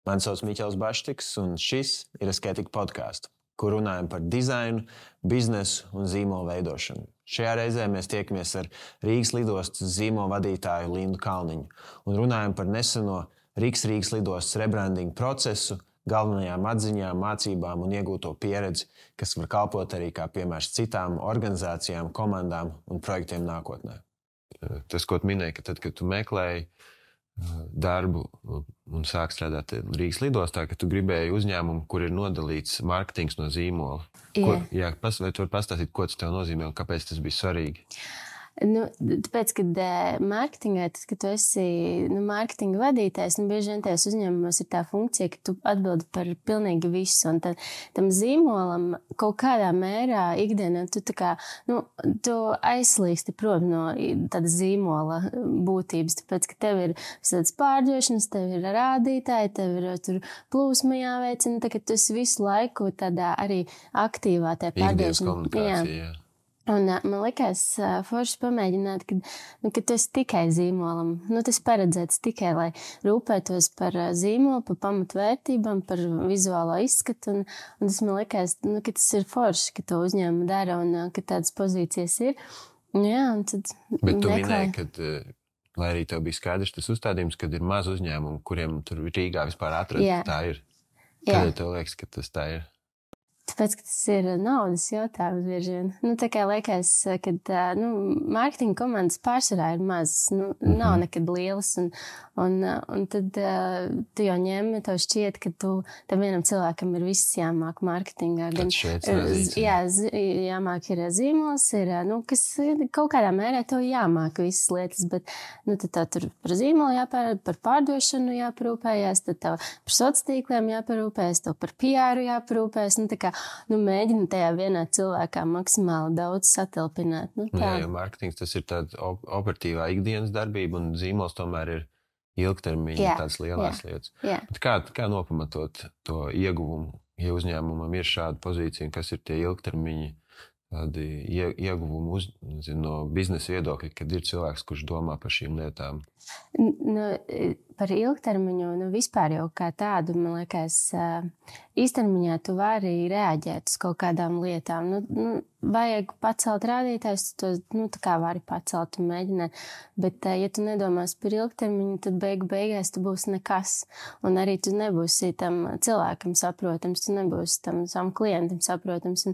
Mani sauc Miķels Baštiks, un šis ir Asketika podkāsts, kur runājam par dizainu, biznesu un zīmolu veidošanu. Šajā reizē mēs tiekamies ar Rīgas lidostas zīmolu vadītāju Lindu Kalniņu un runājam par neseno Rīgas lidostas rebrandinga procesu, galvenajām atziņām, mācībām un iegūto pieredzi, kas var kalpot arī kā piemērs citām organizācijām, komandām un projektiem nākotnē. Tas, ko tu minēji, ka tad, kad tu meklēji darbu un sāk strādāt Rīgas lidostā, ka tu gribēji uzņēmumu, kur ir nodalīts mārketings no zīmola. Vai tu vari pastāstīt, ko tas tev nozīmē un kāpēc tas bija svarīgi? Tāpēc, kad mārketingā, kad tu esi mārketinga vadītājs, bieži vien tajos uzņēmumos ir tā funkcija, ka tu atbildi par pilnīgi visu. Un tam zīmolam kaut kādā mērā ikdienā tu aizslīgsti prom no tāda zīmola būtības. Tāpēc, ka tev ir visādas pārdošanas, tev ir rādītāji, tev ir tur plūsma jāveicina, tā ka tu esi visu laiku tādā arī aktīvā tajā pārdošanā. Ikdienas komunikācija, jā. Un man likās forši pamēģināt, ka tu esi tikai zīmolam. Tas paredzēts tikai, lai rūpētos par zīmolu, par pamatvērtībām, par vizuālo izskatu. Un tas man likās, ka tas ir forši, ka to uzņēmumu dara un ka tādas pozīcijas ir. Jā, un tad Bet tu minēji, ka, lai arī tev bija skaidrs tas uzstādījums, kad ir maz uzņēmumu, kuriem tur Rīgā vispār atrast, tā ir. Kādēļ tev liekas, ka tas tā ir? Tāpēc, ka tas ir naudas jautājums bieži vien. Tā kā liekas, ka mārketinga komandas pārsvarā ir mazas, nav nekad lielas. Un tad tu jau ņem, tev šķiet, ka tam vienam cilvēkam ir viss jāmāk mārketingā. Jāmāk ir zīmols, kas kaut kādā mērā tev jāmāk visas lietas, bet tad tev tur par zīmolu par pārdošanu jāparūpējās, tad tev par sociāliem jāparūpējas, tev par PR jāparūpējas. Mēģina tajā vienā cilvēkā maksimāli daudz satilpināt. Jo mārketings tas ir tāda operatīvā ikdienas darbība, un zīmols tomēr ir ilgtermiņa tādas lielās lietas. Bet kā nopamatot to ieguvumu, ja uzņēmumam ir šāda pozīcija, kas ir tie ilgtermiņa tādi ieguvumi no biznesa viedokļa, kad ir cilvēks, kurš domā par šīm lietām? Par ilgtermiņu, vispār jau kā tādu, man liekas, īstermiņā tu vari reaģēt uz kaut kādām lietām. Vajag pacelt rādītājus, tu tā kā vari pacelt un mēģināt. Bet, ja tu nedomās par ilgtermiņu, tad beigās tu būsi nekas. Un arī tu nebūsi tam cilvēkam saprotams, tu nebūsi tam savam klientam saprotams.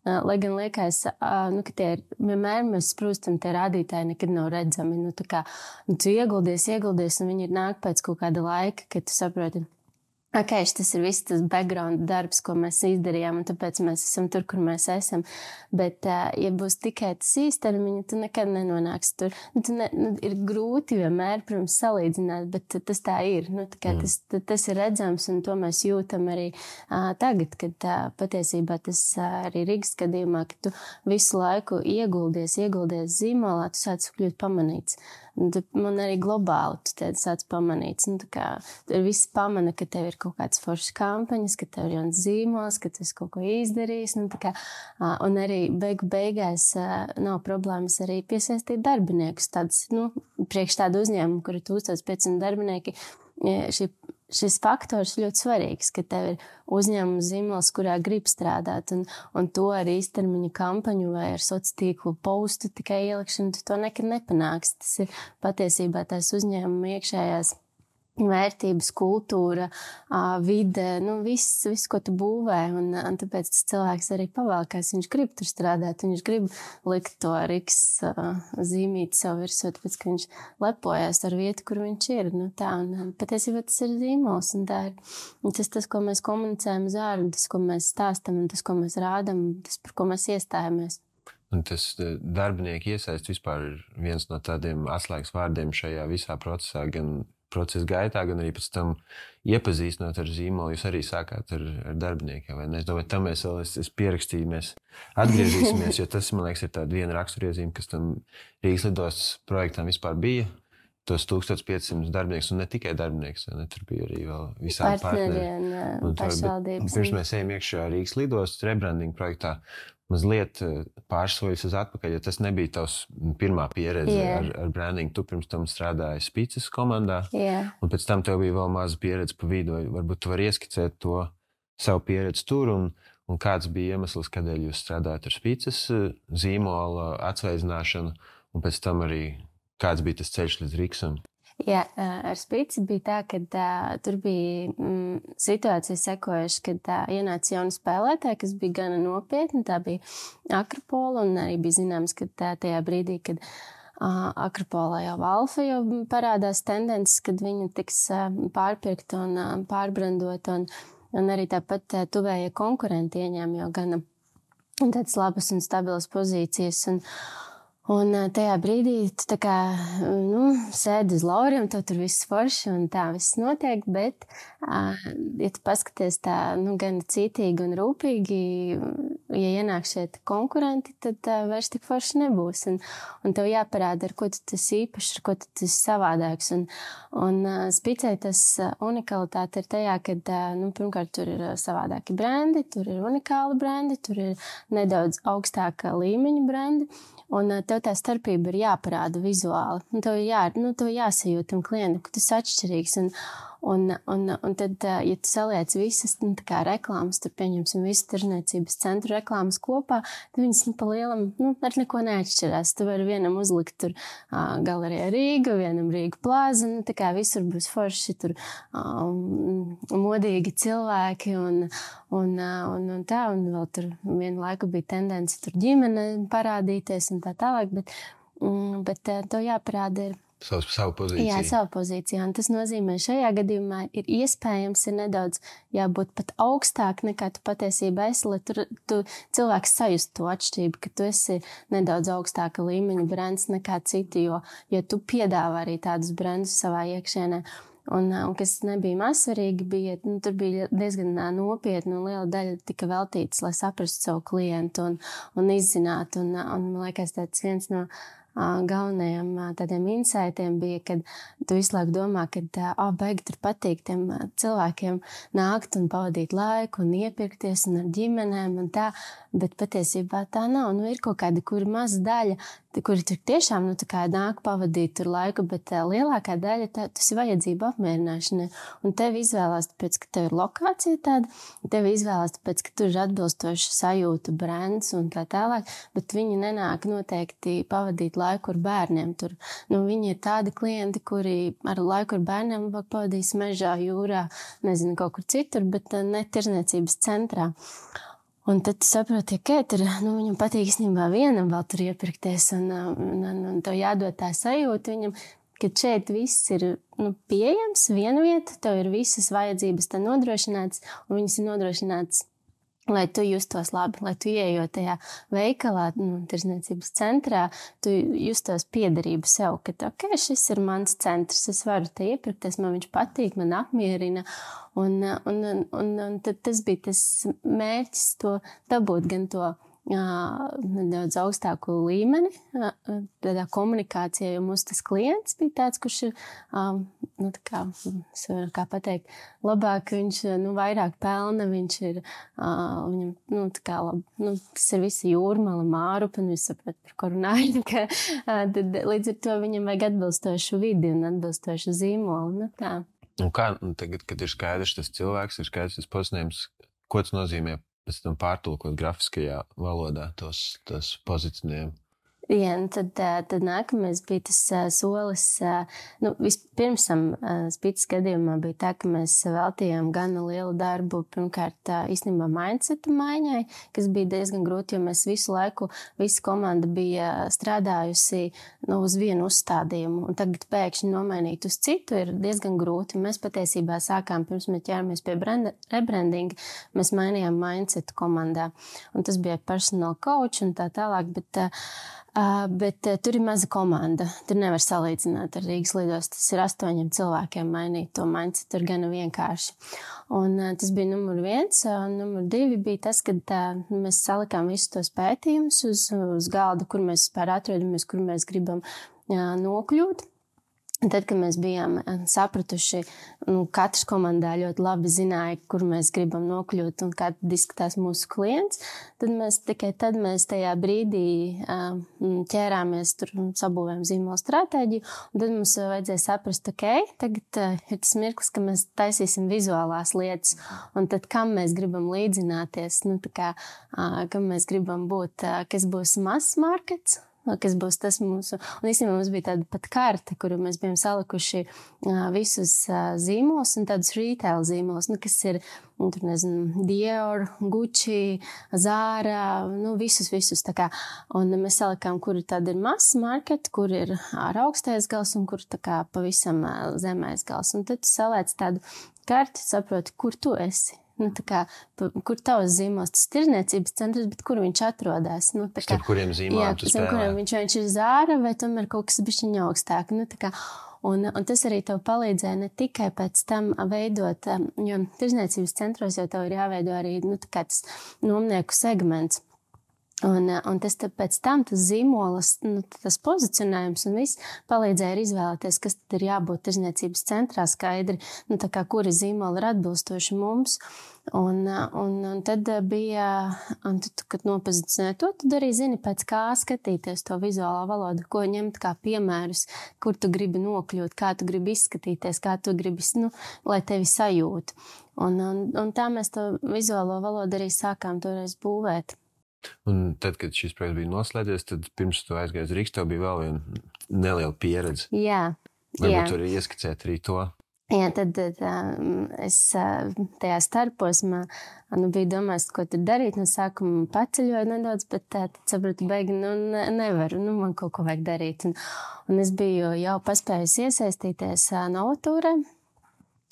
Lai gan liekas, ka vienmēr mēs sprūstam, tie rādītāji nekad nav redzami. Tu ieguldies, un viņi nāk pēc kaut kāda laika, kad tu saproti, tas ir viss tas background darbs, ko mēs izdarījām, un tāpēc mēs esam tur, kur mēs esam. Bet, ja būs tikai tas īstermiņa, tu nekad nenonāksi tur. Ir grūti vienmēr, protams, salīdzināt, bet tas tā ir. Tas ir redzams, un to mēs jūtam arī tagad, kad patiesībā tas arī Rīgas gadījumā, ka tu visu laiku ieguldies zīmolā, tu sāc kļūt pamanīts. Man arī globāli tu sāc pamanīts. Visi pamana, ka tev ir kaut kāds foršs kampaņas, ka tev ir jauns zīmols, ka tu esi kaut ko izdarījis. Un arī beigās nav problēmas arī piesaistīt darbiniekus. Priekš tādu uzņēmumu, kur ir 1500 darbinieki, šis faktors ļoti svarīgs, ka tev ir uzņēmuma zīmols, kurā grib strādāt, un to ar īstermiņa kampaņu vai ar sociālo tīklu postu tikai ielikšanu, tu to nekad nepanāksi. Tas ir patiesībā tās uzņēmuma iekšējās vērtības, kultūra, vide, viss, ko tu būvē, un tāpēc tas cilvēks arī pavalkās, viņš grib tur strādāt, viņš grib likt to Rīgas zīmīti savu virsū, tāpēc, ka viņš lepojās ar vietu, kur viņš ir. Patiesībā tas ir zīmols, un tā ir tas, ko mēs komunicējam uz ārā, tas, ko mēs stāstam, un tas, ko mēs rādam, tas, par ko mēs iestājamies. Un tas darbinieku iesaist vispār ir viens no tādiem atslēgas vārdiem šajā visā procesā, gan procesa gaitā, gan arī pēc tam iepazīstinot ar zīmolu. Jūs arī sākāt ar darbiniekiem, vai ne? Es domāju, tam es pierakstīju, mēs atgriezīsimies, jo tas, man liekas, ir tāda viena raksturiezīme, kas tam Rīgas lidostas projektam vispār bija. Tos 1500 darbinieks, un ne tikai darbinieks, ne? Tur bija arī vēl visādi partneri. Un pašvaldības. Pirms mēs ejam iekšā Rīgas lidostas rebrandinga projektā, mazliet pārsoļus uz atpakaļ, ja tas nebija tavs pirmā pieredze ar brandingu. Tu pirms tam strādāji Spīces komandā, un pēc tam tev bija vēl maza pieredze pa vidu. Varbūt tu vari ieskicēt to savu pieredzi tur, un kāds bija iemesls, kādēļ jūs strādājat ar Spīces zīmola atsveidzināšanu, un pēc tam arī kāds bija tas ceļš līdz Riksam. Jā, ar Spīci bija tā, ka tur bija situācija sekojuši, kad ienāca jauna spēlētāja, kas bija gana nopietna. Tā bija Akropola, un arī bija zināms, ka tajā brīdī, kad Akropolā jau Alfa jau parādās tendences, kad viņa tiks pārpirkta un pārbrandota, un arī tāpat tuvējie konkurenti ieņēma jau gana tādas labas un stabilas pozīcijas. Un tajā brīdī tu tā kā, sēdi uz lauriem, tev tur viss forši un tā viss notiek, bet, ja tu paskaties tā, gan cītīgi un rūpīgi, ja ienāk šeit konkurenti, tad vairs tik forši nebūs. Un tev jāparāda, ar ko tu esi īpašs, ar ko tu esi savādāks. Un Spīcei tas unikalitāte ir tajā, ka, pirmkārt, tur ir savādāki brandi, tur ir unikāli brandi, tur ir nedaudz augstāka līmeņa brandi. Un tev tā starpība ir jāparāda vizuāli. Un tev jāsajūt tam klientam, ka tas ir atšķirīgs. Un tad, ja tu saliec visas kā reklāmas, tur pieņemsim visu tirzniecības centru reklāmas kopā, tad viņas pa lielam ar neko neatšķirās. Tu vari vienam uzlikt tur galerija Rīga, vienam Rīga plāza, tā kā visur būs forši tur modīgi cilvēki un tā, un vēl tur vienu laiku bija tendence tur ģimene parādīties un tā tālāk, bet tev jāparāda ir savu pozīciju. Jā, savu pozīciju. Un tas nozīmē, šajā gadījumā ir iespējams ir nedaudz jābūt pat augstāk nekā tu patiesībā esi, lai tu cilvēks sajust to atšķirību, ka tu esi nedaudz augstāka līmeņa brands nekā citi, jo tu piedāvā arī tādus brandus savā iekšienē. Un kas nebija mazsvarīgi, tur bija diezgan nopietna un liela daļa tika veltītas, lai saprastu savu klientu un izzinātu. Un man liekas, tāds viens no galvenajiem tādiem insaitiem bija, kad tu visu laiku domā, ka baigi tur patīk tiem cilvēkiem nākt un pavadīt laiku un iepirkties un ar ģimenēm un tā, bet patiesībā tā nav. Ir kaut kāda, kura maza daļa, kuri tur tiešām tā kā nāk pavadīt tur laiku, bet lielākā daļa tas ir vajadzība apmierināšana. Un tevi izvēlās tāpēc, ka tev ir lokācija tāda, tevi izvēlās tāpēc, ka tur ir atbilstoša sajūta, brands un tā tālāk, bet viņi nenāk noteikti pavadīt laiku ar bērniem. Tur, viņi ir tādi klienti, kuri ar laiku ar bērniem labāk pavadīs mežā, jūrā, nezinu, kaut kur citur, bet ne tirzniecības centrā. Un tad tu saproti, ka viņam patīk īstenībā vienam vēl tur iepirkties un tev jādod tā sajūta viņam, ka šeit viss ir pieejams, viena vieta, tev ir visas vajadzības tā nodrošināts un viņas ir nodrošināts, lai tu justos labi, lai tu ieejot tajā veikalā, tirzniecības centrā, tu justos piederību sev, ka šis ir mans centrs, es varu te iepirkties, man viņš patīk, man apmierina. Un tad tas bija tas mērķis, to dabūt gan to nedaudz augstāku līmeni tādā komunikācijā, jo mūsu tas klients bija tāds, kurš ir, kā pateikt, labāk, viņš vairāk pelna, viņš ir, viņam, tas ir visi jūrmala, Mārupa, un viņš saprot, par ko runāju, tad līdz ar to viņam vajag atbilstošu vidi un atbilstošu zīmolu, tā. Un kā, tagad, kad ir skaidrs tas cilvēks, ir skaidrs tas pozicionējums, ko tas nozīmē pēc tam pārtulkot grafiskajā valodā tos pozicionējumu? Jā, tad nākamais bija tas solis. Vispirms Spīces gadījumā bija tā, ka mēs veltījām gana lielu darbu, pirmkārt, īstenībā mindsetu maiņai, kas bija diezgan grūti, jo mēs visu laiku, visa komanda bija strādājusi uz vienu uzstādījumu, un tagad pēkšņi nomainīt uz citu ir diezgan grūti. Mēs patiesībā sākām, pirms mēs ķēramies pie rebrandinga, mēs mainījām mindsetu komandā, un tas bija personal coach un tā tālāk, bet tur ir maza komanda. Tur nevar salīdzināt ar Rīgas lidostu. Tas ir 8 cilvēkiem mainīt to mindset. Tur gana vienkārši. Un tas bija numur 1. Numur 2 bija tas, kad mēs salikām visus tos pētījumus uz galda, kur mēs vispār atrodamies, kur mēs gribam nokļūt. Tad, kad mēs bijām sapratuši, katrs komandā ļoti labi zināja, kur mēs gribam nokļūt un kā izskatās mūsu klients, tad mēs tajā brīdī ķērāmies, sabūvējām zīmola stratēģiju, un tad mums vajadzēja saprast, tagad ir tas mirklis, ka mēs taisīsim vizuālās lietas, un tad kam mēs gribam līdzināties, kam mēs gribam būt, kas būs mass markets, kas būs tas mūsu. Un īstenībā mums bija tāda pat karte, kuru mēs bijām salikuši visus zīmolus un tādus retail zīmolus, kas ir, Dior, Gucci, Zara, visus tā kā. Un mēs salikām, kur tad ir mass market, kur ir ar augstais gals un kur tā kā pavisam zemais gals. Un tad tu saliec tādu karti, saproti, kur tu esi. Kur tavs zīmols, tas tirdzniecības centrs, bet kur viņš atrodas? Starp kuriem zīmoliem tu spēlē? Kuriem viņš ir Zara vai tomēr kaut kas bišķiņ augstāk. Un tas arī tev palīdzēja ne tikai pēc tam veidot, jo tirdzniecības centros jau tev ir jāveido arī tas nomnieku segments. Un tas pēc tam, tas zīmolas, tas pozicionējums un viss palīdzēja arī izvēlēties, kas tad ir jābūt tirdzniecības centrā skaidri, kuri zīmoli ir atbilstoši mums. Un tad bija, kad nopozicionēji to, tad arī zini, pēc kā skatīties to vizuālā valodu, ko ņemt kā piemērus, kur tu gribi nokļūt, kā tu gribi izskatīties, kā tu gribi, lai tevi sajūt. Un tā mēs to vizuālo valodu arī sākām toreiz būvēt. Un tad, kad šis projekts bija noslēdzies, tad pirms tu aizgāji uz Rīgas, tev bija vēl viena neliela pieredze. Jā. Varbūt tu arī ieskicēt arī to. Jā, tad es tajā starposmā biju domājis, ko tur darīt. No sākuma paceļoju nedaudz, bet tad sapratu, beigi, nevaru, man kaut ko vajag darīt. Un es biju jau paspējusi iesaistīties Novatūrē.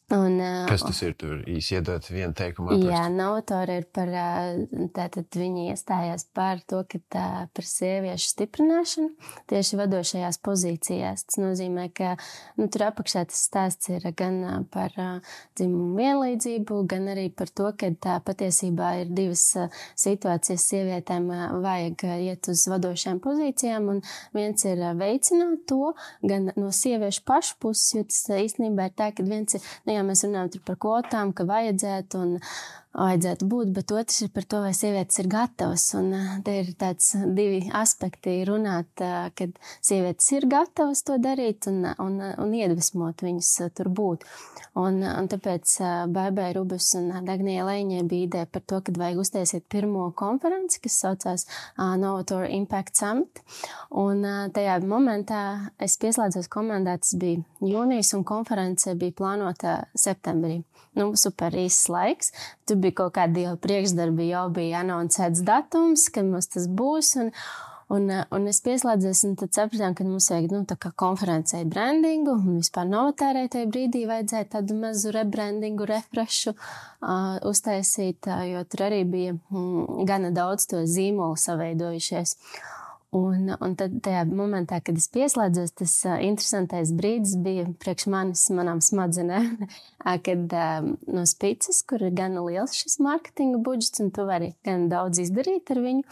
Kas tas ir? Tur īsi iedot vienu teikumu aprakstu. Jā, Novatūra ir par, tātad viņi iestājās par to, ka par sieviešu stiprināšanu tieši vadošajās pozīcijās. Tas nozīmē, ka tur apakšā tas stāsts ir gan par dzimumu vienlīdzību, gan arī par to, ka patiesībā ir divas situācijas sievietēm vajag iet uz vadošajām pozīcijām, un viens ir veicināt to, gan no sieviešu pašu puses, jo tas īstenībā ir tā, ka viens ir, mēs runājam par kvotām, ka vajadzētu būt, bet otrs ir par to, vai sievietes ir gatavas. Un te ir tāds divi aspekti runāt, kad sievietes ir gatavas to darīt un iedvesmot viņas tur būt. Un tāpēc Baibai Rubus un Dagnijai Leiņai bija ideja par to, kad vajag uztaisīt pirmo konferenci, kas saucās Novatūra Impact Summit. Un tajā momentā es pieslēdzos komandā, tas bija jūnijas, un konference bija plānota septembrī. Super īsts laiks. Tur bija kaut kādi jau priekšdarbi, jau bija anoncēts datums, kad mums tas būs. Un es pieslēdzos, un tad sapratām, ka mums vajag konferencei brandingu, un vispār Novatūrai tajā brīdī vajadzēja tādu mazu rebrandingu, refreshu uztaisīt, jo tur arī bija gana daudz to zīmolu saveidojušies. Un tad tajā momentā, kad es pieslēdzos, tas interesantais brīdis bija priekš manām smadzenēm, kad no Spicas, kur ir gana liels šis mārketinga budžets, un tu vari gan daudz izdarīt ar viņu,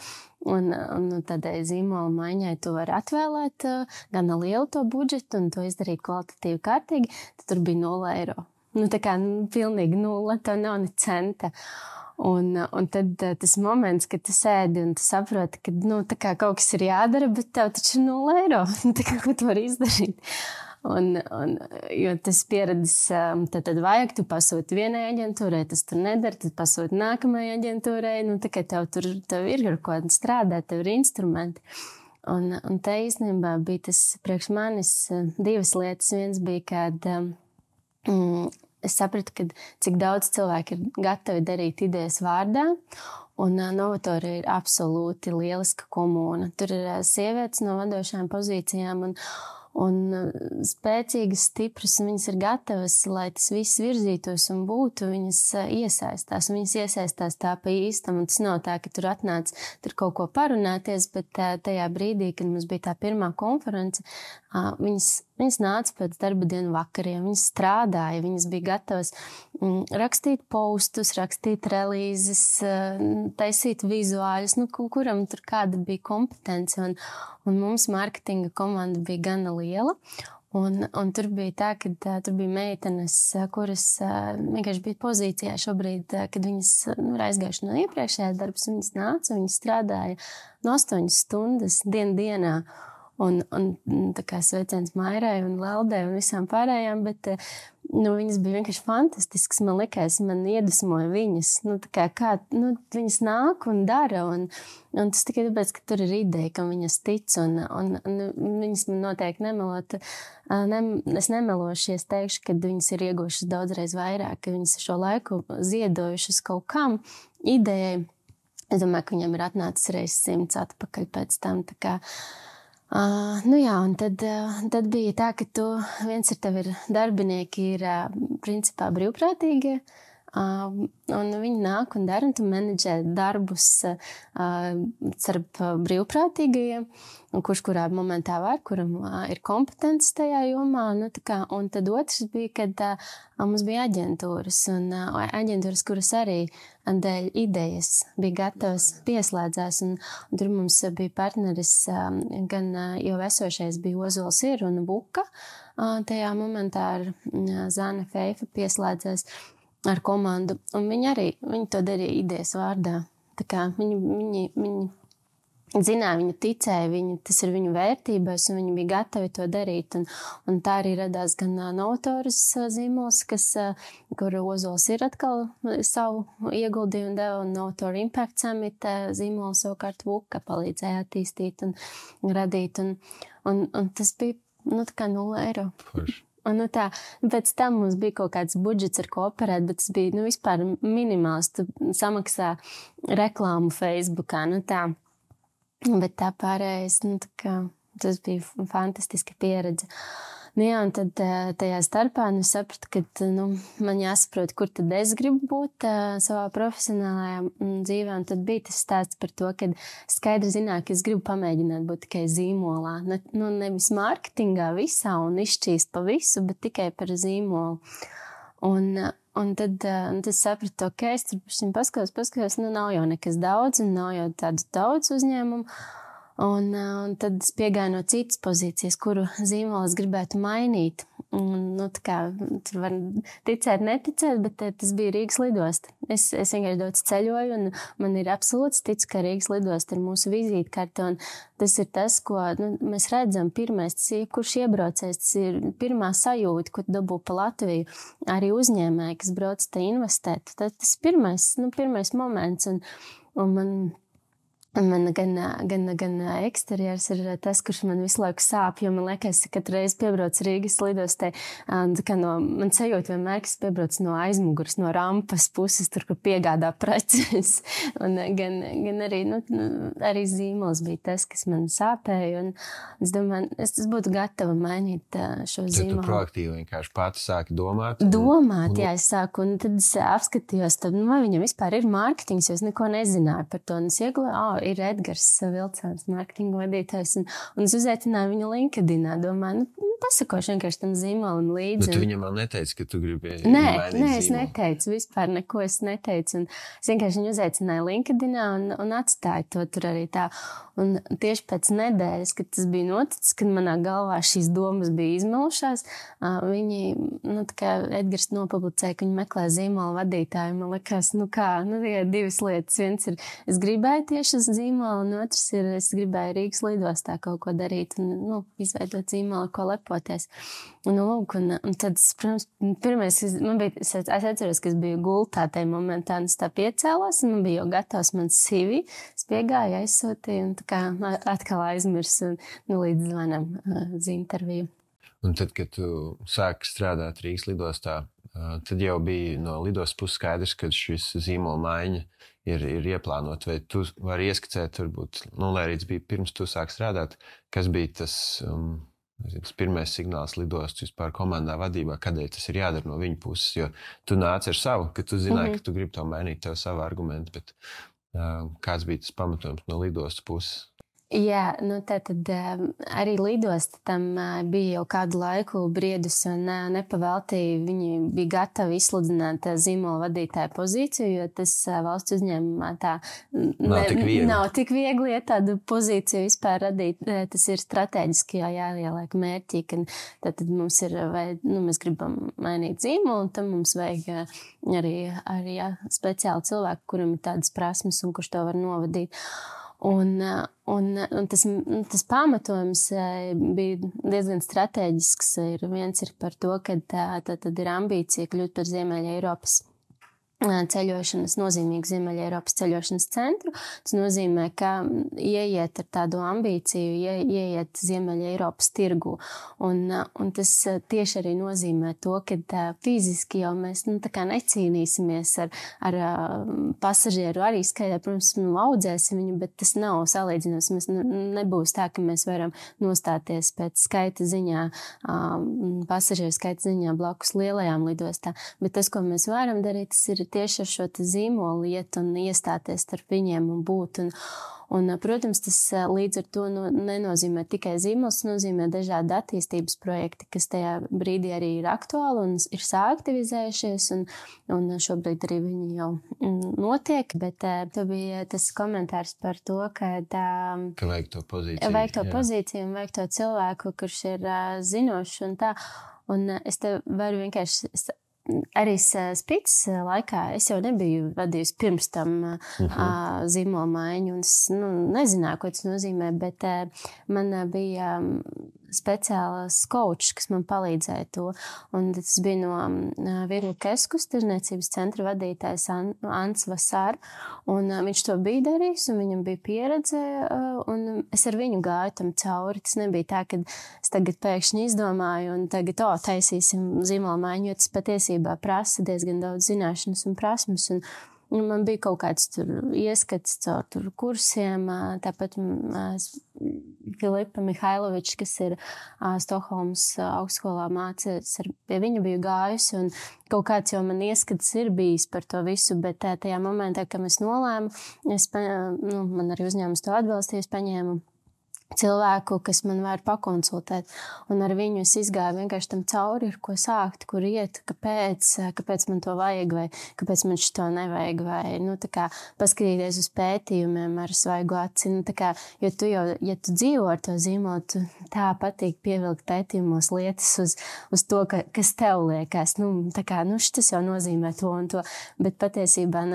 un tādai zīmola maiņai tu vari atvēlēt gana lielu to budžetu, un to izdarīt kvalitatīvi kārtīgi, tad tur bija 0 eiro. Tā kā pilnīgi 0, tev nav ne centa. Un tad tas moments, kad tu sēdi un tu saproti, ka kaut kas ir jādara, bet tev taču ir 0 eiro. Ko tu vari izdarīt? Jo tas pieredzes, tad vajag, tu pasūti vienai aģentūrai, tas tur nedara, tad pasūti nākamajai aģentūrai. Tev ir ar ko strādāt, tev ir instrumenti. Un te īstenībā bija tas priekš manis divas lietas. Viens bija, kad es sapratu, cik daudz cilvēku ir gatavi darīt idejas vārdā, un Novatūra ir absolūti lieliska komūna. Tur ir sievietes no vadošajām pozīcijām un spēcīgas, stipras, un viņas ir gatavas, lai tas viss virzītos un būtu, viņas iesaistās tā pa īstam, un tas nav tā, ka tur atnāc tur kaut ko parunāties, bet tajā brīdī, kad mums bija tā pirmā konference, viņas nāca pēc darba dienu vakariem, viņas strādāja, viņas bija gatavas rakstīt postus, rakstīt relīzes, taisīt vizuāļus, kuram tur kāda bija kompetence, un mums mārketinga komanda bija gana liela, Un tur bija tā, ka tur bija meitenes, kuras vienkārši bija pozīcijā šobrīd, kad viņas ir aizgājuši no iepriekšējās darbas, viņas nāca, viņas strādāja no 8 stundas dienā. Un tā kā sveiciens Mairai un Laldai un visām pārējām, bet viņas bija vienkārši fantastiskas. Man likās, man iedvesmoja viņas. Viņas nāk un dara. Un tas tikai tāpēc, ka tur ir ideja, ka viņas tic. Un viņas man noteikti nemelot. Es nemelošu, ja es teikšu, ka viņas ir ieguvušas daudzreiz vairāk, ka viņas šo laiku ziedojušas kaut kam idejai. Es domāju, ka viņam ir atnācis reizes 100 atpakaļ pēc tam. Tā kā un tad bija tā, ka viens ar tevi ir darbinieki, ir principā brīvprātīgie, un viņi nāk un dara, un tu menedžē darbus starp brīvprātīgajiem, un kurš kurā momentā var, kuram ir kompetences tajā jomā. Un tad otrs bija, kad mums bija aģentūras, un aģentūras, kuras arī dēļ idejas bija gatavas pieslēdzās, un tur mums bija partneris, gan jau esošais bija Ozols ir un Buka, tajā momentā ar Zāne Feifa pieslēdzās ar komandu, un viņi to darīja idejas vārdā. Tā kā viņi zināja, viņi ticēja, tas ir viņu vērtībās, un viņi bija gatavi to darīt. Un tā arī radās gan Notoras zīmols, kur Ozols ir atkal savu ieguldījumu deva, un Notora Impact Summit zīmola savukārt Vuka palīdzēja attīstīt un radīt. Un tas bija tā kā 0 eiro. Forši. Un pēc tam mums bija kaut kāds budžets, ar ko operēt, bet tas bija vispār minimāls. Tu samaksā reklāmu Facebookā, bet tā pārējais, tas bija fantastiska pieredze. Un tad tajā starpā sapratu, ka man jāsaprot, kur tad es gribu būt savā profesionālajā dzīvē. Un tad bija tas stāsts par to, ka skaidri zināju, ka es gribu pamēģināt būt tikai zīmolā. Nevis mārketingā visā un izšķīst pa visu, bet tikai par zīmolu. Un tad sapratu, ok, es tur paskatos, nav jau nekas daudz un nav jau tādu daudz uzņēmumu. Un tad es piegāju no citas pozīcijas, kuru zīmolu es gribētu mainīt. Tur var ticēt, neticēt, bet tas bija Rīgas lidosta. Es vienkārši daudz ceļoju, un man ir absolūts tic, ka Rīgas lidosta ir mūsu vizītkarte. Un tas ir tas, ko mēs redzam pirmais, tas ir, kurš iebraucējs, tas ir pirmā sajūta, ko dabū pa Latviju. Arī uzņēmēji, kas brauc te investēt. Tas pirmais moments, un man gan eksterjers ir tas, kurš man visu laiku sāp, jo man liekas, ka katru reizi piebrauc Rīgas lidostē. Man sajūta vienmēr, ka es piebrauc no aizmuguras, no rampas puses, tur, kur piegādā preces. Un gan arī zīmols bija tas, kas man sāpēja. Un es domāju, es būtu gatava mainīt šo zīmolu. Tu proaktīvi vienkārši pati sāki domāt? Jā, es sāku, un tad es apskatījos, vai viņam vispār ir mārketings, jo es neko nezināju par to. Un es iegulēju, ir Edgars Vilcāns, mārketinga vadītājs, un es uzaicināju viņu LinkedInā, domāju, pasakošu vienkārši tam zīmolam līdzi. Bet tu viņam vēl neteici, ka tu gribi mainīt zīmolu? Es neteicu, vispār neko es neteicu, un es vienkārši viņu uzaicināju LinkedInā un atstāju to tur arī tā. Un tieši pēc nedēļas, kad tas bija noticis, kad manā galvā šīs domas bija izmelušās, viņi, Edgars nopublicēja, ka viņi meklē zīmola vadītāju. Man likās, tikai divas lietas. Viens ir, es gribēju tieši uz zīmolu, un otrs ir, es gribēju Rīgas lidostā kaut ko darīt un, izveidot zīmolu, ko lepoties. Un tad, protams, pirmais, es atceros, ka es biju gultā tajā momentā, un es tā piecēlos, un man bija jau gatavs mans CV. Es piegāju, aizsūtīju, un tā kā atkal aizmirsu, līdz zvanam uz interviju. Un tad, kad tu sāki strādāt Rīgas lidostā, tad jau bija no lidostas puses skaidrs, ka šis zīmola maiņa ir ieplānot, vai tu vari ieskicēt, varbūt, lai arī tas bija pirms tu sāki strādāt, kas bija tas pirmais signāls lidostas vispār komandā vadībā, kādēļ tas ir jādara no viņa puses, jo tu nāc ar savu, ka tu zināji, ka tu gribi to mainīt, tev savu argumentu, bet kāds bija tas pamatojums no lidostas puses? Jā, nu tad arī lidosta tam bija jau kādu laiku briedus un nepavēltīja. Viņi bija gatavi izsludināt zīmola vadītāja pozīciju, jo tas valsts uzņēmumā tā nav tik viegli, ja tādu pozīciju vispār radīt. Tas ir strateģiski jāieliek mērķi, ka tad mums ir, mēs gribam mainīt zīmolu, un tam mums vajag arī speciāli cilvēku, kuram ir tādas prasmes un kurš to var novadīt. Un tas pamatojums bija diezgan strateģisks. Viens ir par to, ka tad ir ambīcija kļūt par Ziemeļa Eiropas ceļošanas, nozīmīgu Ziemeļa Eiropas ceļošanas centru. Tas nozīmē, ka ieiet ar tādu ambīciju, ieiet Ziemeļa Eiropas tirgu. Un tas tieši arī nozīmē to, ka fiziski jau mēs tā kā necīnīsimies ar pasažieru arī skaidrā. Protams, audzēsim viņu, bet tas nav salīdzināms. Mēs nebūs tā, ka mēs varam nostāties pēc skaita ziņā, pasažieru skaita ziņā blakus lielajām lidostām. Bet tas, ko mēs varam darīt, tas ir tieši ar šo zīmolu iet un iestāties starp viņiem un būt. Un, protams, tas līdz ar to nenozīmē tikai zīmols, tas nozīmē dažādi attīstības projekti, kas tajā brīdī arī ir aktuāli un ir sāaktivizējušies, un šobrīd arī viņi jau notiek, bet to bija tas komentārs par to, ka vajag to pozīciju. Vajag to pozīciju un vajag to cilvēku, kurš ir zinošs un tā. Un es te varu vienkārši... Arī Spītas laikā es jau nebiju vadījusi pirms tam zīmola maiņu, un es nezināju, ko tas nozīmē, bet man bija speciāls coach, kas man palīdzēja to. Un tas bija no Virla Keskus tirzniecības centra vadītājs Ants Vasār, un viņš to bija darījis, un viņam bija pieredze, un es ar viņu gāju tam cauri. Tas nebija tā, ka es tagad pēkšņi izdomāju, un tagad, taisīsim zīmola maiņu, jo tas patiesībā prasa diezgan daudz zināšanas un prasmes, un man bija kaut kāds tur ieskats caur kursiem, tāpat Filipa Mihailoviča, kas ir Stokholmas augstskolā mācīts, pie viņa biju gājusi, un kaut kāds jau man ieskats ir bijis par to visu, bet tajā momentā, kad es nolēmu, man arī uzņēmums to atbalstīja, es paņēmu cilvēku, kas man var pakonsultēt. Un ar viņu es izgāju vienkārši tam cauri, ar ko sākt, kur iet, kāpēc man to vajag, vai kāpēc man šito nevajag, vai, tā kā paskatīties uz pētījumiem ar svaigu aci. Tā kā, jo tu jau, ja tu dzīvo ar to zīmolu, tu tā patīk pievilkt pētījumos lietas uz to, kas tev liekas. Tā kā, šitas jau nozīmē to un to, bet patiesībā,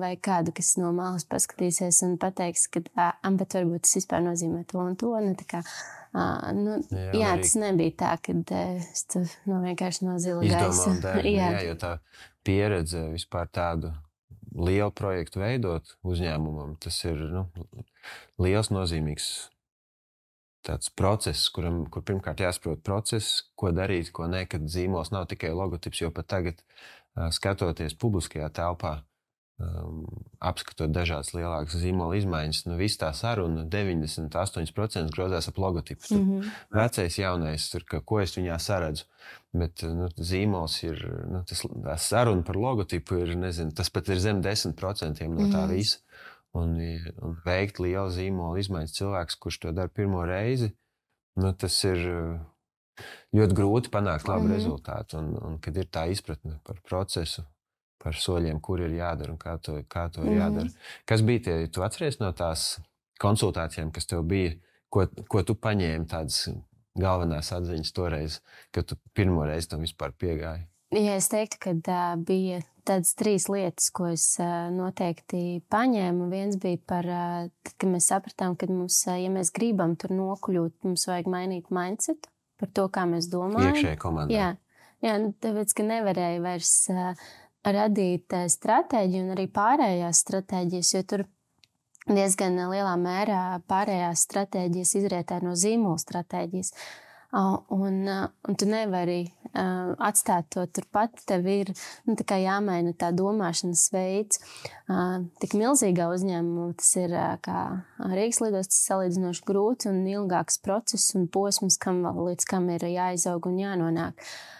vai kādu, kas no malas paskatīsies un pateiks, ka, bet varbūt tas vispār nozīmē to un to. Tas nebija tā, kad es vienkārši no zila gaisa. Jo tā pieredze vispār tādu lielu projektu veidot uzņēmumam, tas ir liels nozīmīgs tāds process, kur pirmkārt jāsaprot process, ko darīt, ko ne, kad zīmols nav tikai logotips, jo pat tagad skatoties publiskajā telpā, apskatot dažādas lielākas zīmola izmaiņas, viss tā saruna 98% grozās ap logotipu. Vecais, jaunais, tur, ko es viņā saredzu, bet zīmols ir, tā saruna par logotipu ir, tas pat ir zem 10% no tā visa. Un veikt lielu zīmola izmaiņas cilvēks, kurš to dara pirmo reizi, tas ir ļoti grūti panākt labu rezultātu. Un kad ir tā izpratne par procesu, par soļiem, kur ir jādara un kā to ir jādara. Kas bija tie, tu atceries no tās konsultācijām, kas tev bija, ko tu paņēmi tādas galvenās atziņas toreiz, kad tu pirmo reizi tam vispār piegāji? Ja es teiktu, ka bija tādas 3 lietas, ko es noteikti paņēmu. Viens bija par, kad mēs sapratām, ka mums, ja mēs gribam tur nokļūt, mums vajag mainīt mindsetu par to, kā mēs domājam. Iekšēji komandā. Jā, tāpēc, ka nevarēja vairs radīt stratēģiju un arī pārējās stratēģijas, jo tur diezgan lielā mērā pārējās stratēģijas izrietē no zīmola stratēģijas. Un tu nevari atstāt to turpat. Tev ir tā kā jāmaina tā domāšanas veids. Tik milzīgā uzņēmumā tas ir kā Rīgas lidostas salīdzinoši grūts un ilgāks process un posms, līdz kam ir jāizaug un jānonāk.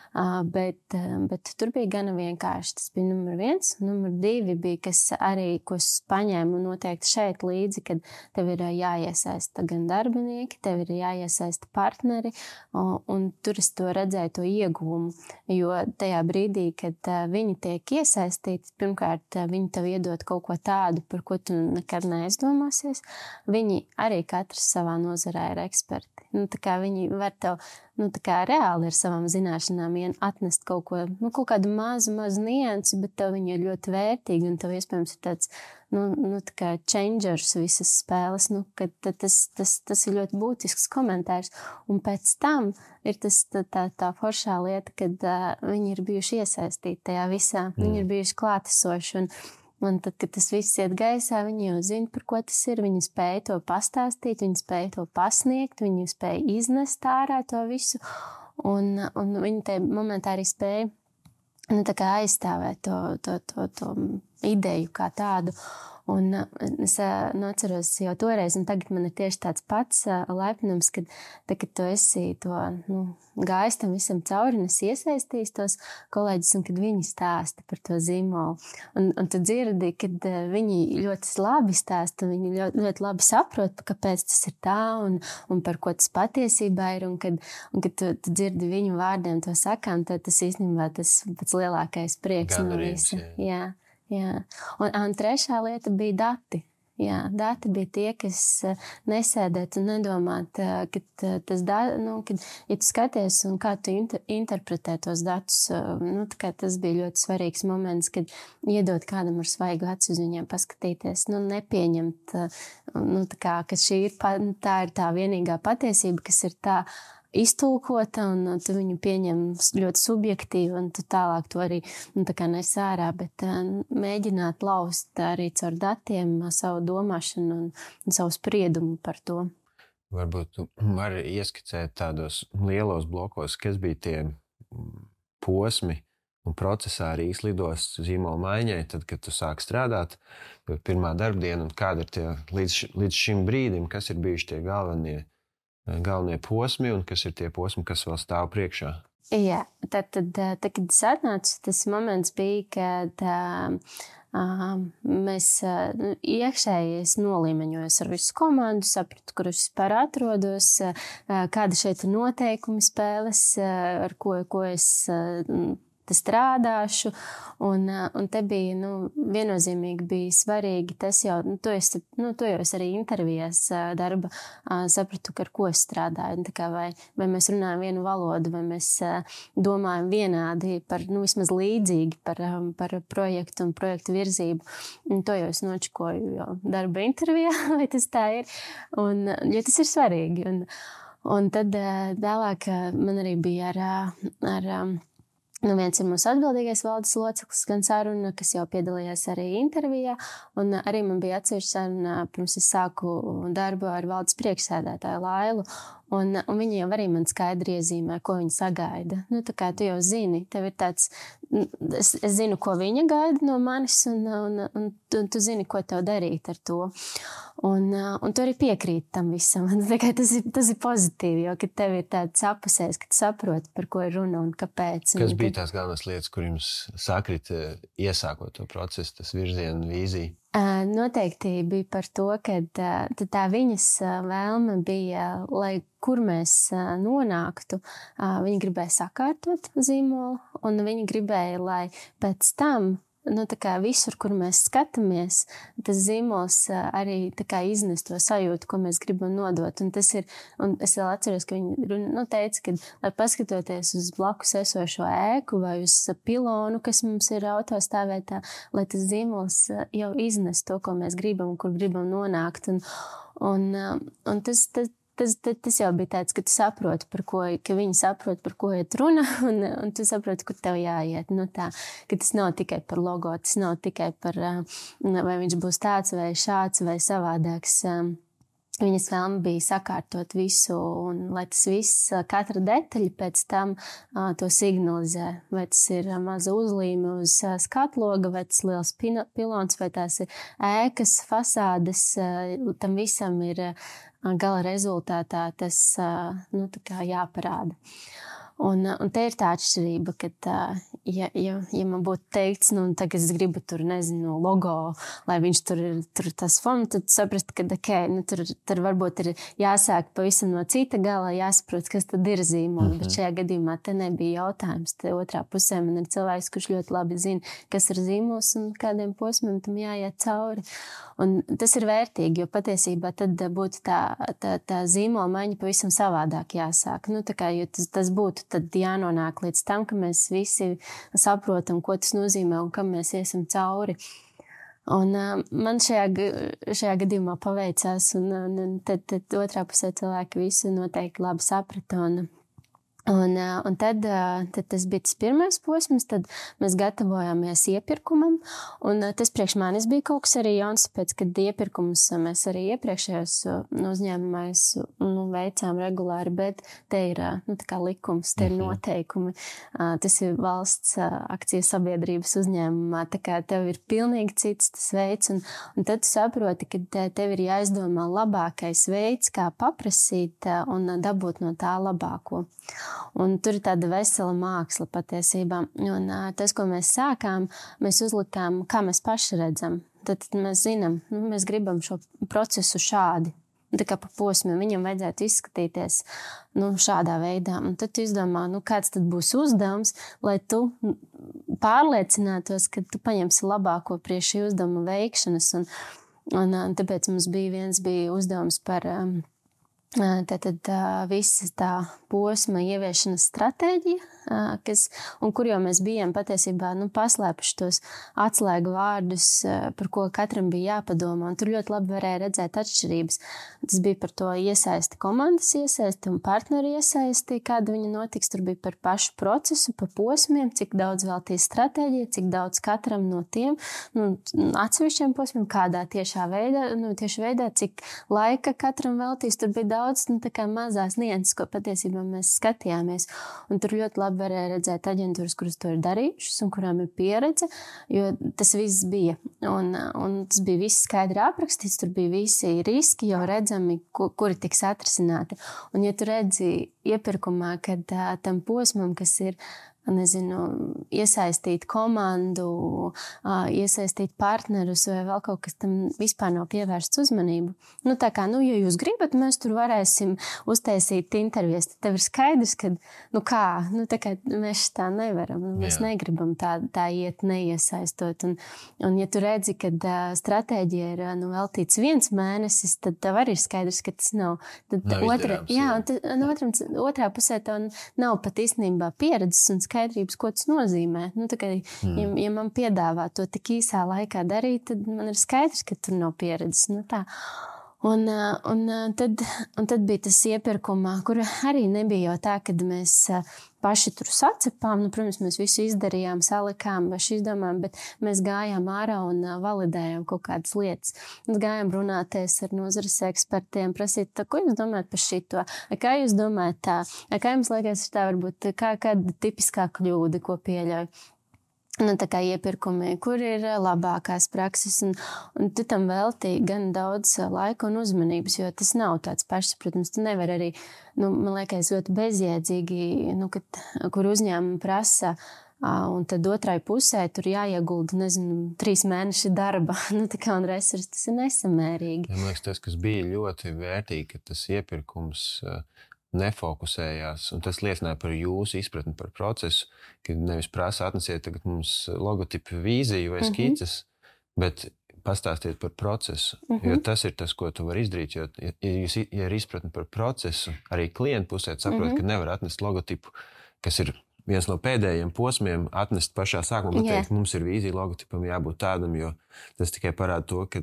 Bet tur bija gana vienkārši. Tas bija numur 1. Numur 2 bija, kas arī, ko es paņēmu noteikti šeit līdzi, kad tev ir jāiesaista gan darbinieki, tev ir jāiesaista partneri, un tur es to redzēju, to ieguvumu. Jo tajā brīdī, kad viņi tiek iesaistīti, pirmkārt, viņi tev iedod kaut ko tādu, par ko tu nekad neaizdomāsies. Viņi arī katrs savā nozarē ir eksperti. Tā kā viņi var tev tā kā reāli ar savām zināšanām atnest kaut ko, kaut kādu mazu niansi, bet tev viņi ir ļoti vērtīgi, un tev iespējams ir tāds, tā kā changers visas spēles, kad tas ir ļoti būtisks komentārs. Un pēc tam ir tas tā foršā lieta, kad viņi ir bijuši iesaistīti tajā visā, viņi ir bijuši klātesoši, un tad, kad tas viss iet gaisā, viņi jau zina, par ko tas ir. Viņi spēja to pastāstīt, viņi spēja to pasniegt, viņi spēja iznest ārā to visu. Un viņi tajā momentā arī spēja tā kā aizstāvēt to ideju kā tādu. Un es atceros jau toreiz, un tagad man ir tieši tāds pats laipnums, kad tu esi to gājis tam visam cauri, un es iesaistījos tos kolēģis, un kad viņi stāsta par to zīmolu. Un tu dzirdi, kad viņi ļoti labi stāsta, viņi ļoti labi saprot, kāpēc tas ir tā, un par ko tas patiesībā ir, un kad tu dzirdi viņu vārdiem to sakām, tad tas īstenībā tas pats lielākais prieks no visa. Jā. Un trešā lieta bija dati. Jā, dati bija tie, kas nesēdēt un nedomāt, kad kad, ja tu skaties un kā tu interpretē tos datus, tas bija ļoti svarīgs moments, kad iedot kādam ar svaigu aci uz viņiem paskatīties, nepieņemt, ka šī ir tā vienīgā patiesība, kas ir tā iztulkota, un tu viņu pieņem ļoti subjektīvi, un tu tālāk to arī nes ārā, bet mēģināt laust arī caur datiem savu domāšanu un savu spriedumu par to. Varbūt tu vari ieskicēt tādos lielos blokos, kas bija tie posmi un procesā Rīgas lidostas zīmola maiņai, tad, kad tu sāki strādāt, pirmā darbdiena, un kāda ir tie līdz šim brīdim, kas ir bijuši tie galvenie posmi un kas ir tie posmi, kas vēl stāv priekšā? Jā, tad, kad es atnācu, tas moments bija, kad mēs iekšēji nolīmeņojos ar visu komandu, sapratu, kur es vispār atrodos, kāda šeit ir noteikumi spēles, ar ko es strādāšu, un te bija, viennozīmīgi bija svarīgi tas jau, to jau es arī intervijās darba sapratu, ar ko es strādāju, tā kā vai mēs runājam vienu valodu, vai mēs domājam vienādi par, vismaz līdzīgi par projektu un projektu virzību, un to jau es nočikoju jau darba intervijā, vai tas tā ir, jo tas ir svarīgi, un tad tālāk man arī bija ar viens ir mūsu atbildīgais valdes loceklis, gan saruna, kas jau piedalījās arī intervijā, un arī man bija atsevišķa saruna, pirms es sāku darbu ar valdes priekšsēdētāju Lailu, un viņi jau arī man skaidri iezīmē, ko viņi sagaida. Tā kā tu jau zini, tev ir tāds, es zinu, ko viņa gaida no manis, un tu zini, ko tev darīt ar to. Un tu arī piekrīt tam visam. Tas ir pozitīvi, jo, kad tev ir tāds apusējs, ka tu saproti, par ko ir runa un kāpēc. Kas bija tās galvenās lietas, kur jums sakrita iesākot to procesu, tas virzienu, vīzija? Noteikti bija par to, ka tā viņas vēlme bija, lai kur mēs nonāktu, viņi gribēja sakārtot zīmolu, un viņi gribēja, lai pēc tam tā kā visur, kur mēs skatāmies, tas zīmols arī tā kā iznes to sajūtu, ko mēs gribam nodot. Un tas ir, un es vēl atceros, ka viņi teica, ka, lai paskatoties uz blakus esošo ēku vai uz pilonu, kas mums ir autostāvētā, lai tas zīmols jau iznes to, ko mēs gribam un kur gribam nonākt. Un tas jau bija tāds, ka tu saproti, ka viņi saprot, par ko iet runa, un tu saproti, kur tev jāiet. Ka tas nav tikai par logo, tas nav tikai par, vai viņš būs tāds vai šāds vai savādāks. Viņas vēlme bija sakārtot visu, un lai tas viss, katra detaļa pēc tam to signalizē. Vai tas ir maza uzlīme uz skatloga, vai tas liels pilons, vai tās ir ēkas, fasādes, tam visam ir gala rezultātā tas tā kā jāparāda. Un te ir tā atšķirība, ka, ja man būtu teikts, nu, tagad es gribu tur, nezinu, logo, lai viņš tur tas fonds, tad saprast, ka, nu, tur varbūt ir jāsāk pavisam no cita gala, jāsaprot, kas tad ir zīmols. Bet šajā gadījumā te nebija jautājums. Te otrā pusē man ir cilvēks, kurš ļoti labi zina, kas ir zīmols un kādiem posmiem tam jāiet cauri. Un tas ir vērtīgi, jo patiesībā tad būtu tā zīmola maiņa pavisam savādāk jāsāk. Nu, tā kā, jo tas būtu tad jānonāk līdz tam, ka mēs visi saprotam, ko tas nozīmē un kam mēs iesim cauri. Un man šajā gadījumā paveicās, un tad otrā pusē cilvēki visu noteikti labi saprata. Un tad tas bija tas pirmais posms, tad mēs gatavojāmies iepirkumam, un tas priekš manis bija kaut kas arī jauns, tāpēc, kad iepirkumus mēs arī iepriekšējos uzņēmumais veicām regulāri, bet te ir tā kā likums, te ir noteikumi, tas ir valsts akciju sabiedrības uzņēmumā, tā kā tev ir pilnīgi cits tas veids, un tad tu saproti, ka tev ir jāizdomā labākais veids, kā paprasīt un dabūt no tā labāko. Un tur ir tāda vesela māksla patiesībā. Un tas, ko mēs sākām, mēs uzlikām, kā mēs paši redzam. Tad mēs zinām, mēs gribam šo procesu šādi. Tā kā pa posmiem viņam vajadzētu izskatīties šādā veidā. Un tad tu izdomā, kāds tad būs uzdevums, lai tu pārliecinātos, ka tu paņemsi labāko priekš šī uzdevuma veikšanas. Un tāpēc mums bija uzdevums par visa tā posma ieviešanas stratēģija, kur jau mēs bijām patiesībā paslēpuši tos atslēgu vārdus, par ko katram bija jāpadomā. Un tur ļoti labi varēja redzēt atšķirības. Tas bija par to iesaisti, komandas iesaisti un partneri iesaisti, kāda viņa notiks. Tur bija par pašu procesu, par posmiem, cik daudz veltīs stratēģija, cik daudz katram no tiem atsevišķiem posmiem, kādā tieši veidā, cik laika katram veltīs. Tur bija daudz tā kā mazās nianses, ko patiesībā mēs skatījāmies. Un tur ļoti labi varēja redzēt aģentūras, kuras to ir darījušas un kurām ir pieredze, jo tas viss bija. Un tas bija viss skaidri aprakstīts, tur bija visi riski jau redzami, kuri tiks atrisināti. Un ja tu redzi iepirkumā, kad tam posmam, kas ir iesaistīt komandu, iesaistīt partnerus vai vēl kaut kas tam vispār nav pievērsts uzmanību. Tā kā, ja jūs gribat, mēs tur varēsim uztaisīt intervijas. Tad tev ir skaidrs, ka, tā kā mēs tā nevaram. Mēs negribam tā iet neiesaistot. Un ja tu redzi, kad stratēģija ir veltīts 1 mēnesis, tad tev arī ir skaidrs, ka tas nav. Tad otrā pusē tev nav pat īstenībā pieredzes un skaidrības, ko tas nozīmē. Ja man piedāvā to tik īsā laikā darīt, tad man ir skaidrs, ka tur nav pieredzes. Tā. Un tad bija tas iepirkumā, kur arī nebija jau tā, kad mēs paši tur sacepām. Protams, mēs visu izdarījām, salikām, izdomājām, bet mēs gājām ārā un validējām kaut kādas lietas. Mēs gājām runāties ar nozares ekspertiem, prasīt, ko jūs domājat par šito? Kā jūs domājat tā? Kā jums liekas, tā varbūt kāda tipiskā kļūda, ko pieļauj? Tā kā iepirkumi, kur ir labākās prakses, un tu tam veltīji gan daudz laika un uzmanības, jo tas nav tāds pašsaprotams. Tu nevar arī, man liekas, ļoti bezjēdzīgi, kur uzņēmumi prasa, un tad otrai pusē tur jāiegulda, 3 mēneši darba, un resursi, tas ir nesamērīgi. Man liekas, tas, kas bija ļoti vērtīgi, ka tas iepirkums nefokusējās, un tas liecināja par jūsu izpratni par procesu, ka nevis prasa atnesiet tagad mums logotipu vīziju vai skices, bet pastāstiet par procesu, jo tas ir tas, ko tu vari izdarīt, jo ja ir izpratni par procesu, arī klientu pusē saprot, ka nevar atnest logotipu, kas ir viens no pēdējiem posmiem, atnest pašā sākumā, bet teikt, mums ir vīzija, logotipam jābūt tādam, jo tas tikai parāda to, ka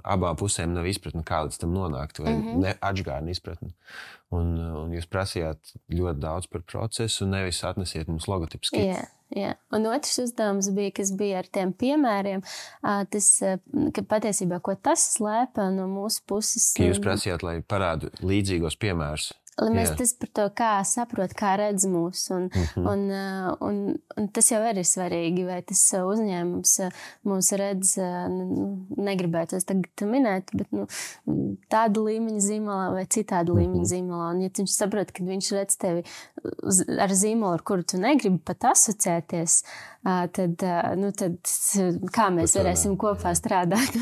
abām pusēm nav izpratni, kā līdz tam nonākt, vai atžgārna izpratni. Un jūs prasījāt ļoti daudz par procesu, nevis atnesiet mums logotipu skici. Jā. Un otrs uzdevums bija, kas bija ar tiem piemēriem, tas, ka patiesībā, ko tas slēpa no mūsu puses. Ka jūs prasījāt, lai parādu līdzīgos piemērus. Mēs tas par to, kā saprot, kā redz mūs. Un tas jau ir svarīgi, vai tas uzņēmums mūs redz, negribētu es tagad minēt, bet tāda līmeņa zīmolā vai citāda līmeņa zīmolā. Un ja viņš saprot, ka viņš redz tevi ar zīmolu, ar kuru tu negribi pat asociēties, tad kā mēs varēsim kopā strādāt?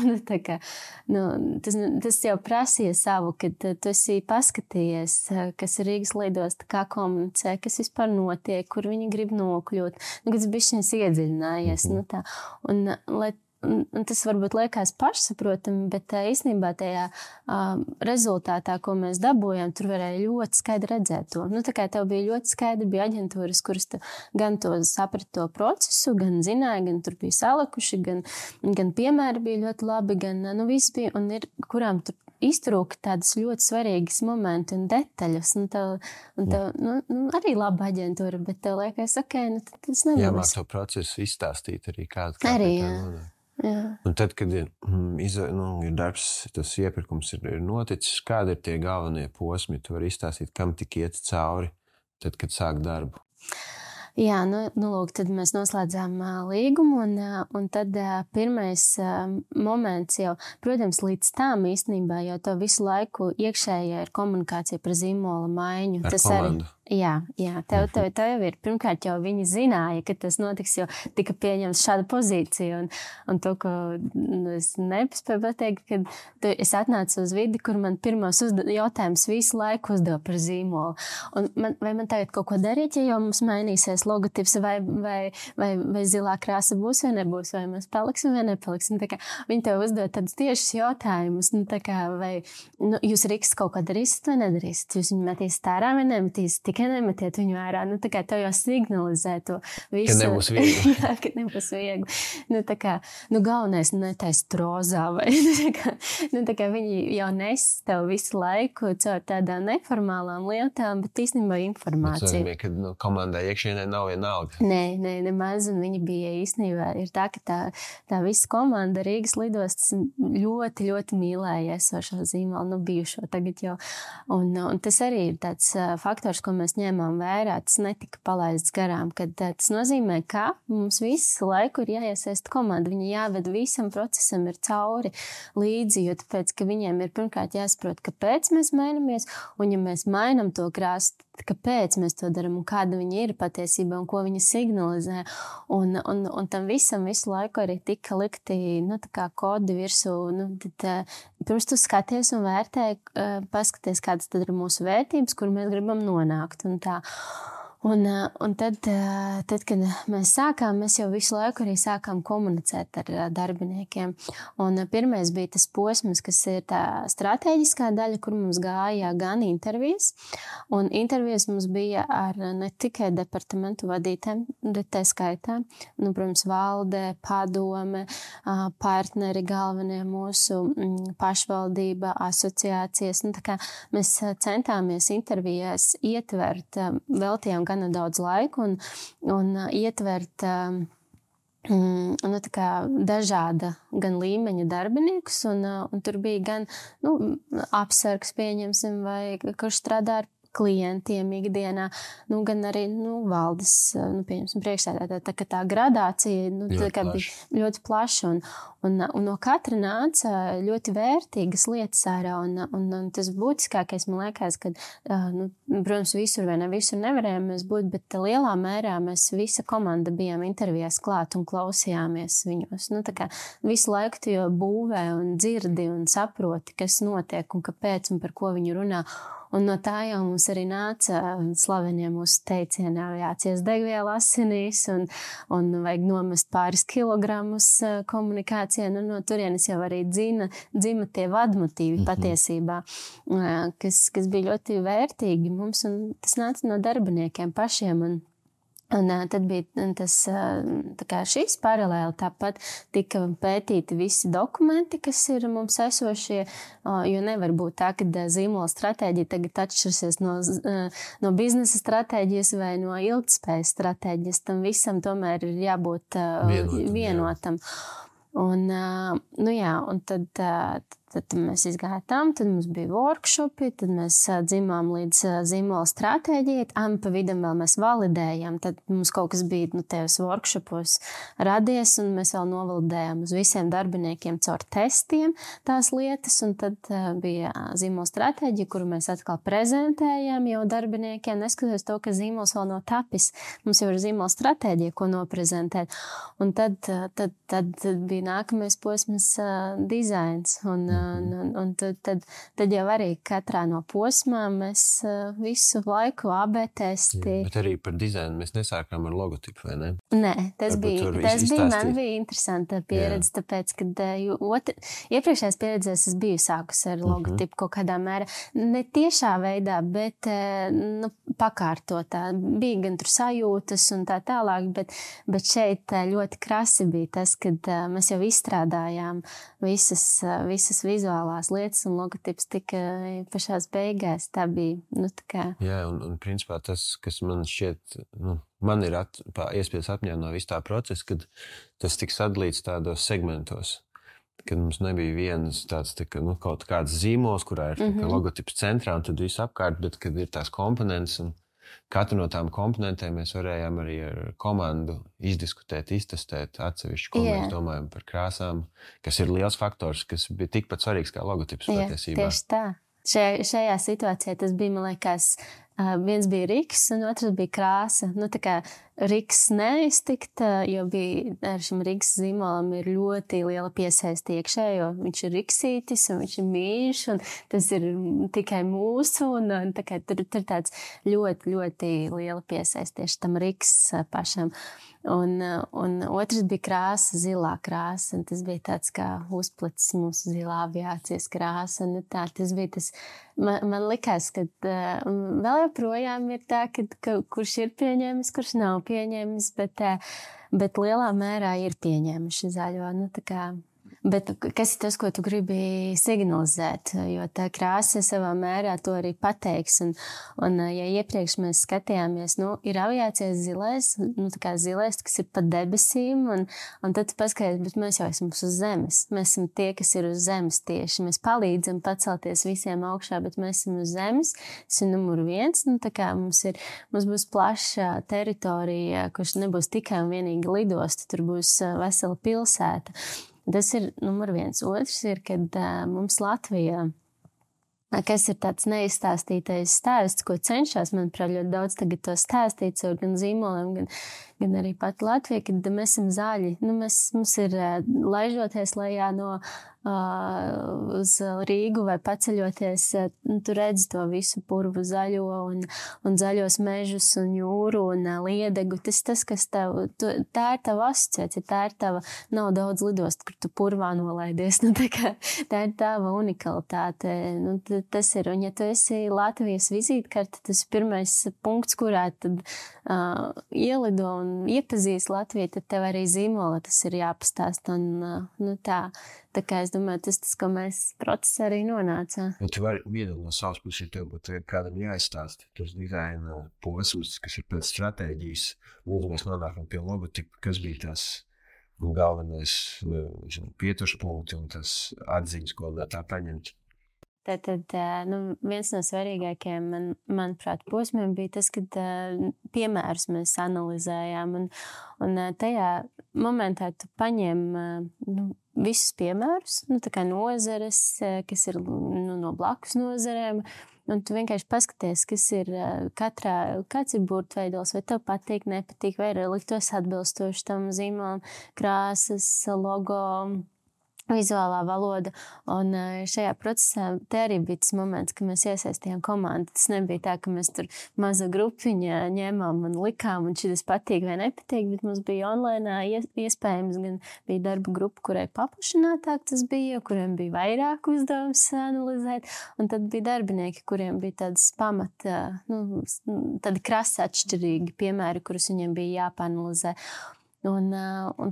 Tas jau prasīja savu, kad tu esi paskatījies, kas ir Rīgas lidosta, kā komunicē, kas vispār notiek, kur viņi grib nokļūt. Kad tas bišķiņas iedziļinājies. Un tas varbūt liekas pašsaprotami, bet īstenībā tajā rezultātā, ko mēs dabūjām, tur varēja ļoti skaidri redzēt to. Tā kā tev bija ļoti skaidri, bija aģentūras, kuras gan to saprata to procesu, gan zināja, gan tur bija salikuši, gan piemēri bija ļoti labi, gan viss bija, un ir, kurām tur iztrūka tādas ļoti svarīgas momenti un detaļas. Arī laba aģentūra, bet tev liekas, tas nebūs. Jāmāk to procesu izstāstīt arī kādu. Arī, jā. Un tad, kad ir darbs, tas iepirkums ir noticis, kādi ir tie galvenie posmi? Tu vari izstāstīt, kam tik iet cauri, tad, kad sāk darbu. Jā, lūk, tad mēs noslēdzām līgumu, un tad pirmais moments jau, protams, līdz tām īstenībā, jo to visu laiku iekšējā ir komunikācija par zīmola maiņu. Ar komandu. Jā, tev jau ir. Pirmkārt, jau viņi zināja, ka tas notiks, jo tika pieņemts šāda pozīcija. Un to, ko es nepaspēju pateikt, kad es atnācu uz vidi, kur man pirmos jautājums visu laiku uzdeva par zīmolu. Un vai man tagad kaut ko darīt, ja jau mums mainīsies logotips, vai zilā krāsa būs vai nebūs, vai mēs paliksim vai nepaliksim. Viņi tev uzdod tādus tiešus jautājumus. Vai jūs Rīgas kaut ko darīsiet vai nedarīsiet? Jūs viņu metīsiet ārā vai nemetīsiet? Tikai nemetiet viņu ārā. Tev jau signalizē to visu. Ka nebūs viegli. Jā, ka nebūs viegli. Galvenais netaist rozā. Vai, viņi jau nes tev visu laiku caur tādām neformālām lietām, bet īstenībā informācija. Tas nozīmē, ka komandai iekšienē nav vienalga. Nē, nemaz. Un viņi bija īstenībā ir tā, ka tā visa komanda Rīgas lidostas ļoti, ļoti mīlēja esošo zīmolu, bijušo tagad jau. Un tas arī ir tāds faktors, ko mēs ņēmām vērā, tas netika palaists garām, kad tas nozīmē, ka mums visu laiku ir jāiesaist komanda, viņi jāved visam procesam ir cauri līdzi, jo tāpēc, ka viņiem ir pirmkārt jāsaprot, kāpēc mēs mainamies, un ja mēs mainam to krāsu, kāpēc mēs to daram un kāda viņa ir patiesībā un ko viņa signalizē. Un tam visam visu laiku arī tika likti kodi virsū. Pirms tu skaties un vērtē, paskaties, kādas tad ir mūsu vērtības, kur mēs gribam nonākt. Un tad, kad mēs sākām, mēs jau visu laiku arī sākām komunicēt ar darbiniekiem. Un pirmais bija tas posms, kas ir tā stratēģiskā daļa, kur mums gāja gan intervijas. Un intervijas mums bija ar ne tikai departamentu vadītēm, bet tā skaitā. Protams, valde, padome, partneri galvenie mūsu pašvaldība, asociācijas. Mēs centāmies intervijās ietvert, veltījām gana daudz laiku un ietvert dažāda gan līmeņa darbiniekus, un tur bija gan apsargs, pieņemsim, vai kurš strādā ar klientiem ikdienā, gan arī valdes, pieņemsim, priekšsēdētāji. Tā gradācija bija ļoti plaša, un no katra nāca ļoti vērtīgas lietas ārā, un tas būtiskākais, man liekas, ka, protams, visur vai ne visur nevarējām mēs būt, bet lielā mērā mēs visa komanda bijām intervijās klāt un klausījāmies viņos. Visu laiku tu jau būvē un dzirdi un saproti, kas notiek un kāpēc un par ko viņi runā. Un no tā jau mums arī nāca slavenie mūsu teicieni, jācies degviela asinīs un vajag nomest pāris kilogramus komunikācijā. No turienes jau arī dzima tie vadmotīvi patiesībā, kas bija ļoti vērtīgi mums, un tas nāca no darbiniekiem pašiem. Un tad bija tas, šis paralēli, tāpat tika pētīti visi dokumenti, kas ir mums esošie, jo nevar būt tā, ka zīmola stratēģija tagad atšķirsies no biznesa stratēģijas vai no ilgtspējas stratēģijas. Tam visam tomēr ir jābūt vienotam. Un tad tad mēs izgājām, tad mums bija workshopi, tad mēs dzimām līdz zīmola stratēģijai. Pa vidam vēl mēs validējām. Tad mums kaut kas bija tajos workshopos radies, un mēs vēl novalidējām uz visiem darbiniekiem caur testiem tās lietas. Un tad bija zīmola stratēģija, kuru mēs atkal prezentējām jau darbiniekiem, neskatoties to, ka zīmols vēl nav tapis. Mums jau ir zīmola stratēģija, ko noprezentēt. Un tad bija nākamais posms dizains. Un tad jau arī katrā no posmām mēs visu laiku AB testi. Bet arī par dizainu mēs nesākām ar logotipu, vai ne? Nē, tas man bija interesanta pieredze, tāpēc, kad iepriekšējās pieredzēs es biju sākus ar logotipu kaut kādā mērā. Ne tiešā veidā, bet pakārtotā. Bija gan tur sajūtas un tā tālāk, bet šeit ļoti krasi bija tas, kad mēs jau izstrādājām visas vizuālās lietas un logotips tika pašās beigās. Tā bija, tā kā... Jā, un principā tas, kas man šķiet, man ir iespējas atmiņā no visu tā procesa, kad tas tika sadalīts tādos segmentos. Kad mums nebija viens tāds kaut kāds zīmols, kurā ir logotips centrā un tad viss apkārt, bet kad ir tās komponentes un katru no tām komponentēm mēs varējām arī ar komandu izdiskutēt, iztestēt atsevišķi, ko mēs domājam par krāsām, kas ir liels faktors, kas bija tikpat svarīgs kā logotips patiesībā. Tieši tā. Šajā situācijā tas bija, man liekas, viens bija riks un otrs bija krāsa. Tā kā riks neiztikt, jo bija ar šim riks zīmolam ir ļoti liela piesaiste iekšē, jo viņš ir riksītis un viņš ir mīļš un tas ir tikai mūsu un tā kā tur tāds ļoti, ļoti liela piesaiste tieši tam riks pašam. Un otrs bija krāsa, zilā krāsa, un tas bija tāds kā uzplicis mūsu zilā aviācijas krāsa. Tas bija tas, man likās, ka vēl joprojām ir tā, ka kurš ir pieņēmis, kurš nav pieņēmis, bet lielā mērā ir pieņēmuši zaļo. Bet kas ir tas, ko tu gribi signalizēt? Jo tā krāsa savā mērā to arī pateiks. Un ja iepriekš mēs skatījāmies, ir aviācijas zilais, tā kā zilais, kas ir pa debesīm, un tad tu paskaties, bet mēs jau esam uz zemes. Mēs esam tie, kas ir uz zemes tieši. Mēs palīdzam pacelties visiem augšā, bet mēs esam uz zemes. Tas ir numur 1. Tā kā mums būs plaša teritorija, kurš nebūs tikai un vienīgi lidosta, tur būs vesela pilsēta. Tas ir numur 1. Otrs ir, kad mums Latvijā, kas ir tāds neizstāstītais stāsts, ko cenšas, manuprāt, ļoti daudz tagad to stāstīt ar gan zīmoliem, gan arī pat Latvijā, kad mēs esam zaļi. Mums ir laižoties lejā uz Rīgu vai paceļoties, tu redzi to visu purvu zaļo un zaļos mežus un jūru un liedegu. Tas kas tā ir tava asociācija, tā ir tava, nav daudz lidost, kur tu purvā nolaidies. Tā ir tava unikalitāte. Tas ir, un ja tu esi Latvijas vizītkarte, tas ir pirmais punkts, kurā tad ielido un iepazīst Latviju, tad tev arī zīmola tas ir jāpastāst. Tā kā es domāju, tas, ko mēs procesā arī nonācām. Tu vari viena no savas puses, ja tev būtu kādam jāizstāst tas dizaina posms, kas ir pēc stratēģijas, un mēs nonākam pie logotipa, kas bija tas galvenais pieturspunkti un tas atziņas, ko tā paņemt. Tad viens no svarīgākajiem, manuprāt, posmiem bija tas, kad piemērus mēs analizējām. Un tajā momentā tu paņem visus piemērus, tā kā nozares, kas ir no blakus nozarēm. Un tu vienkārši paskaties, kas ir kāds ir burtveidols, vai tev patīk, nepatīk, vai ir liktos atbilstoši tam zīmolam, krāsas, logo, vizuālā valoda. Un šajā procesā te arī bija tas moments, ka mēs iesaistījām komandu. Tas nebija tā, ka mēs tur maza grupiņa ņēmām un likām, un šitas patīk vai nepatīk, bet mums bija online iespējams, gan bija darba grupa, kurai paplašinātāk tas bija, kuriem bija vairāk uzdevums analizēt, un tad bija darbinieki, kuriem bija tādas pamata, tādi krasi atšķirīgi piemēri, kurus viņiem bija jāpanalizē. Un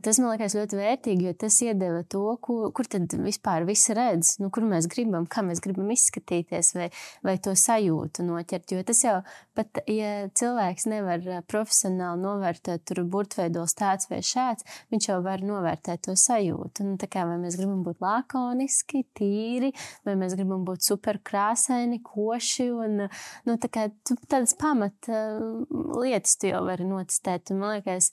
tas man liekas ļoti vērtīgi, jo tas iedeva to, kur tad vispār viss redz, kur mēs gribam, kā mēs gribam izskatīties vai to sajūtu noķert. Jo tas jau pat, ja cilvēks nevar profesionāli novērtēt tur burtveidols tāds vai šāds, viņš jau var novērtēt to sajūtu. Tā kā vai mēs gribam būt lakoniski, tīri, vai mēs gribam būt super krāsaini, koši un tā kā tādas pamat lietas tu jau vari notestēt. Un man liekas,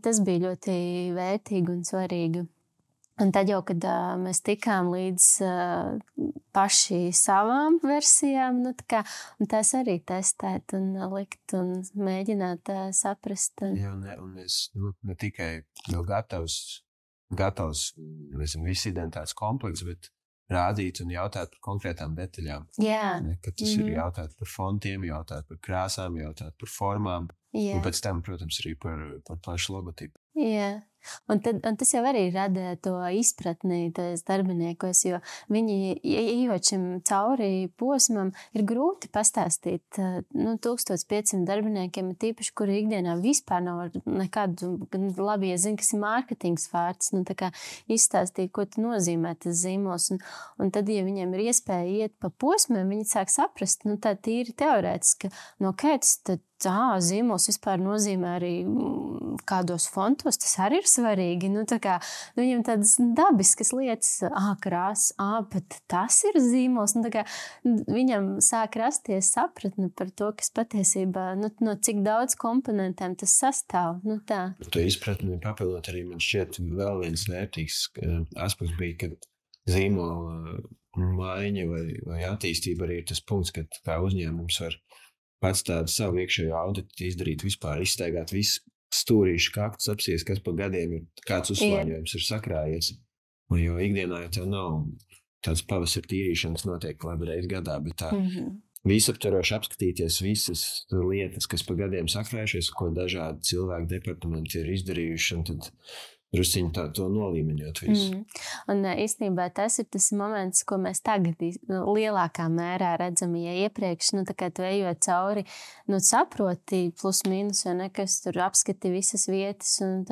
tas bija ļoti vērtīgi un svarīgi. Un tad jau, kad mēs tikām līdz paši savām versijām, un tās arī testēt un likt un mēģināt saprast. Jā, un es ne tikai jau gatavs viss identitātes komplekts, bet rādīt un jautāt par konkrētām detaļām. Jā. Kad tas ir jautāt par fontiem, jautāt par krāsām, jautāt par formām. Jā. Un pēc tam, protams, arī par plašu logotipu. Jā. Un tas jau arī rada to izpratni tos darbiniekos, jo viņi, ejot šim cauri posmam, ir grūti pastāstīt 1500 darbiniekiem, tīpaši, kuri ikdienā vispār nav nekādu labi, ja zina, kas ir mārketings vārds, tā kā izstāstīt, ko tas nozīmē tas zīmols. Un tad, ja viņiem ir iespēja iet pa posmiem, viņi sāk saprast, tā tīri teorētiski, kāds tad zīmols vispār nozīmē arī kādos fontos, tas arī ir svarīgi. Viņam tādas dabiskas lietas, krāsas, bet tas ir zīmols. Viņam sāk rasties sapratne par to, kas patiesībā, no cik daudz komponentiem tas sastāv. To izpratni papildot arī man šķiet vēl viens vērtīgs aspekts bija, kad zīmola maiņa vai attīstība arī ir tas punkts, kad kā uzņēmums var pats tādu savu iekšējo auditu izdarīt, vispār izstaigāt visu stūrīšu kaktus, apsies, kas pa gadiem ir, kāds uzslāņojums ir sakrājies. Jo ikdienā jau tev nav tāds pavasara tīrīšanas notiek labi reiz gadā, bet tā visaptvaroši apskatīties visas lietas, kas pa gadiem sakrājušies, ko dažādi cilvēku departamenti ir izdarījuši, un tad drusciņi to nolīmeņot visu. Un īstenībā tas ir tas moments, ko mēs tagad lielākā mērā redzam, ja iepriekš, tā kā tu ejot cauri, saproti plus mīnus, kas tur apskati visas vietas un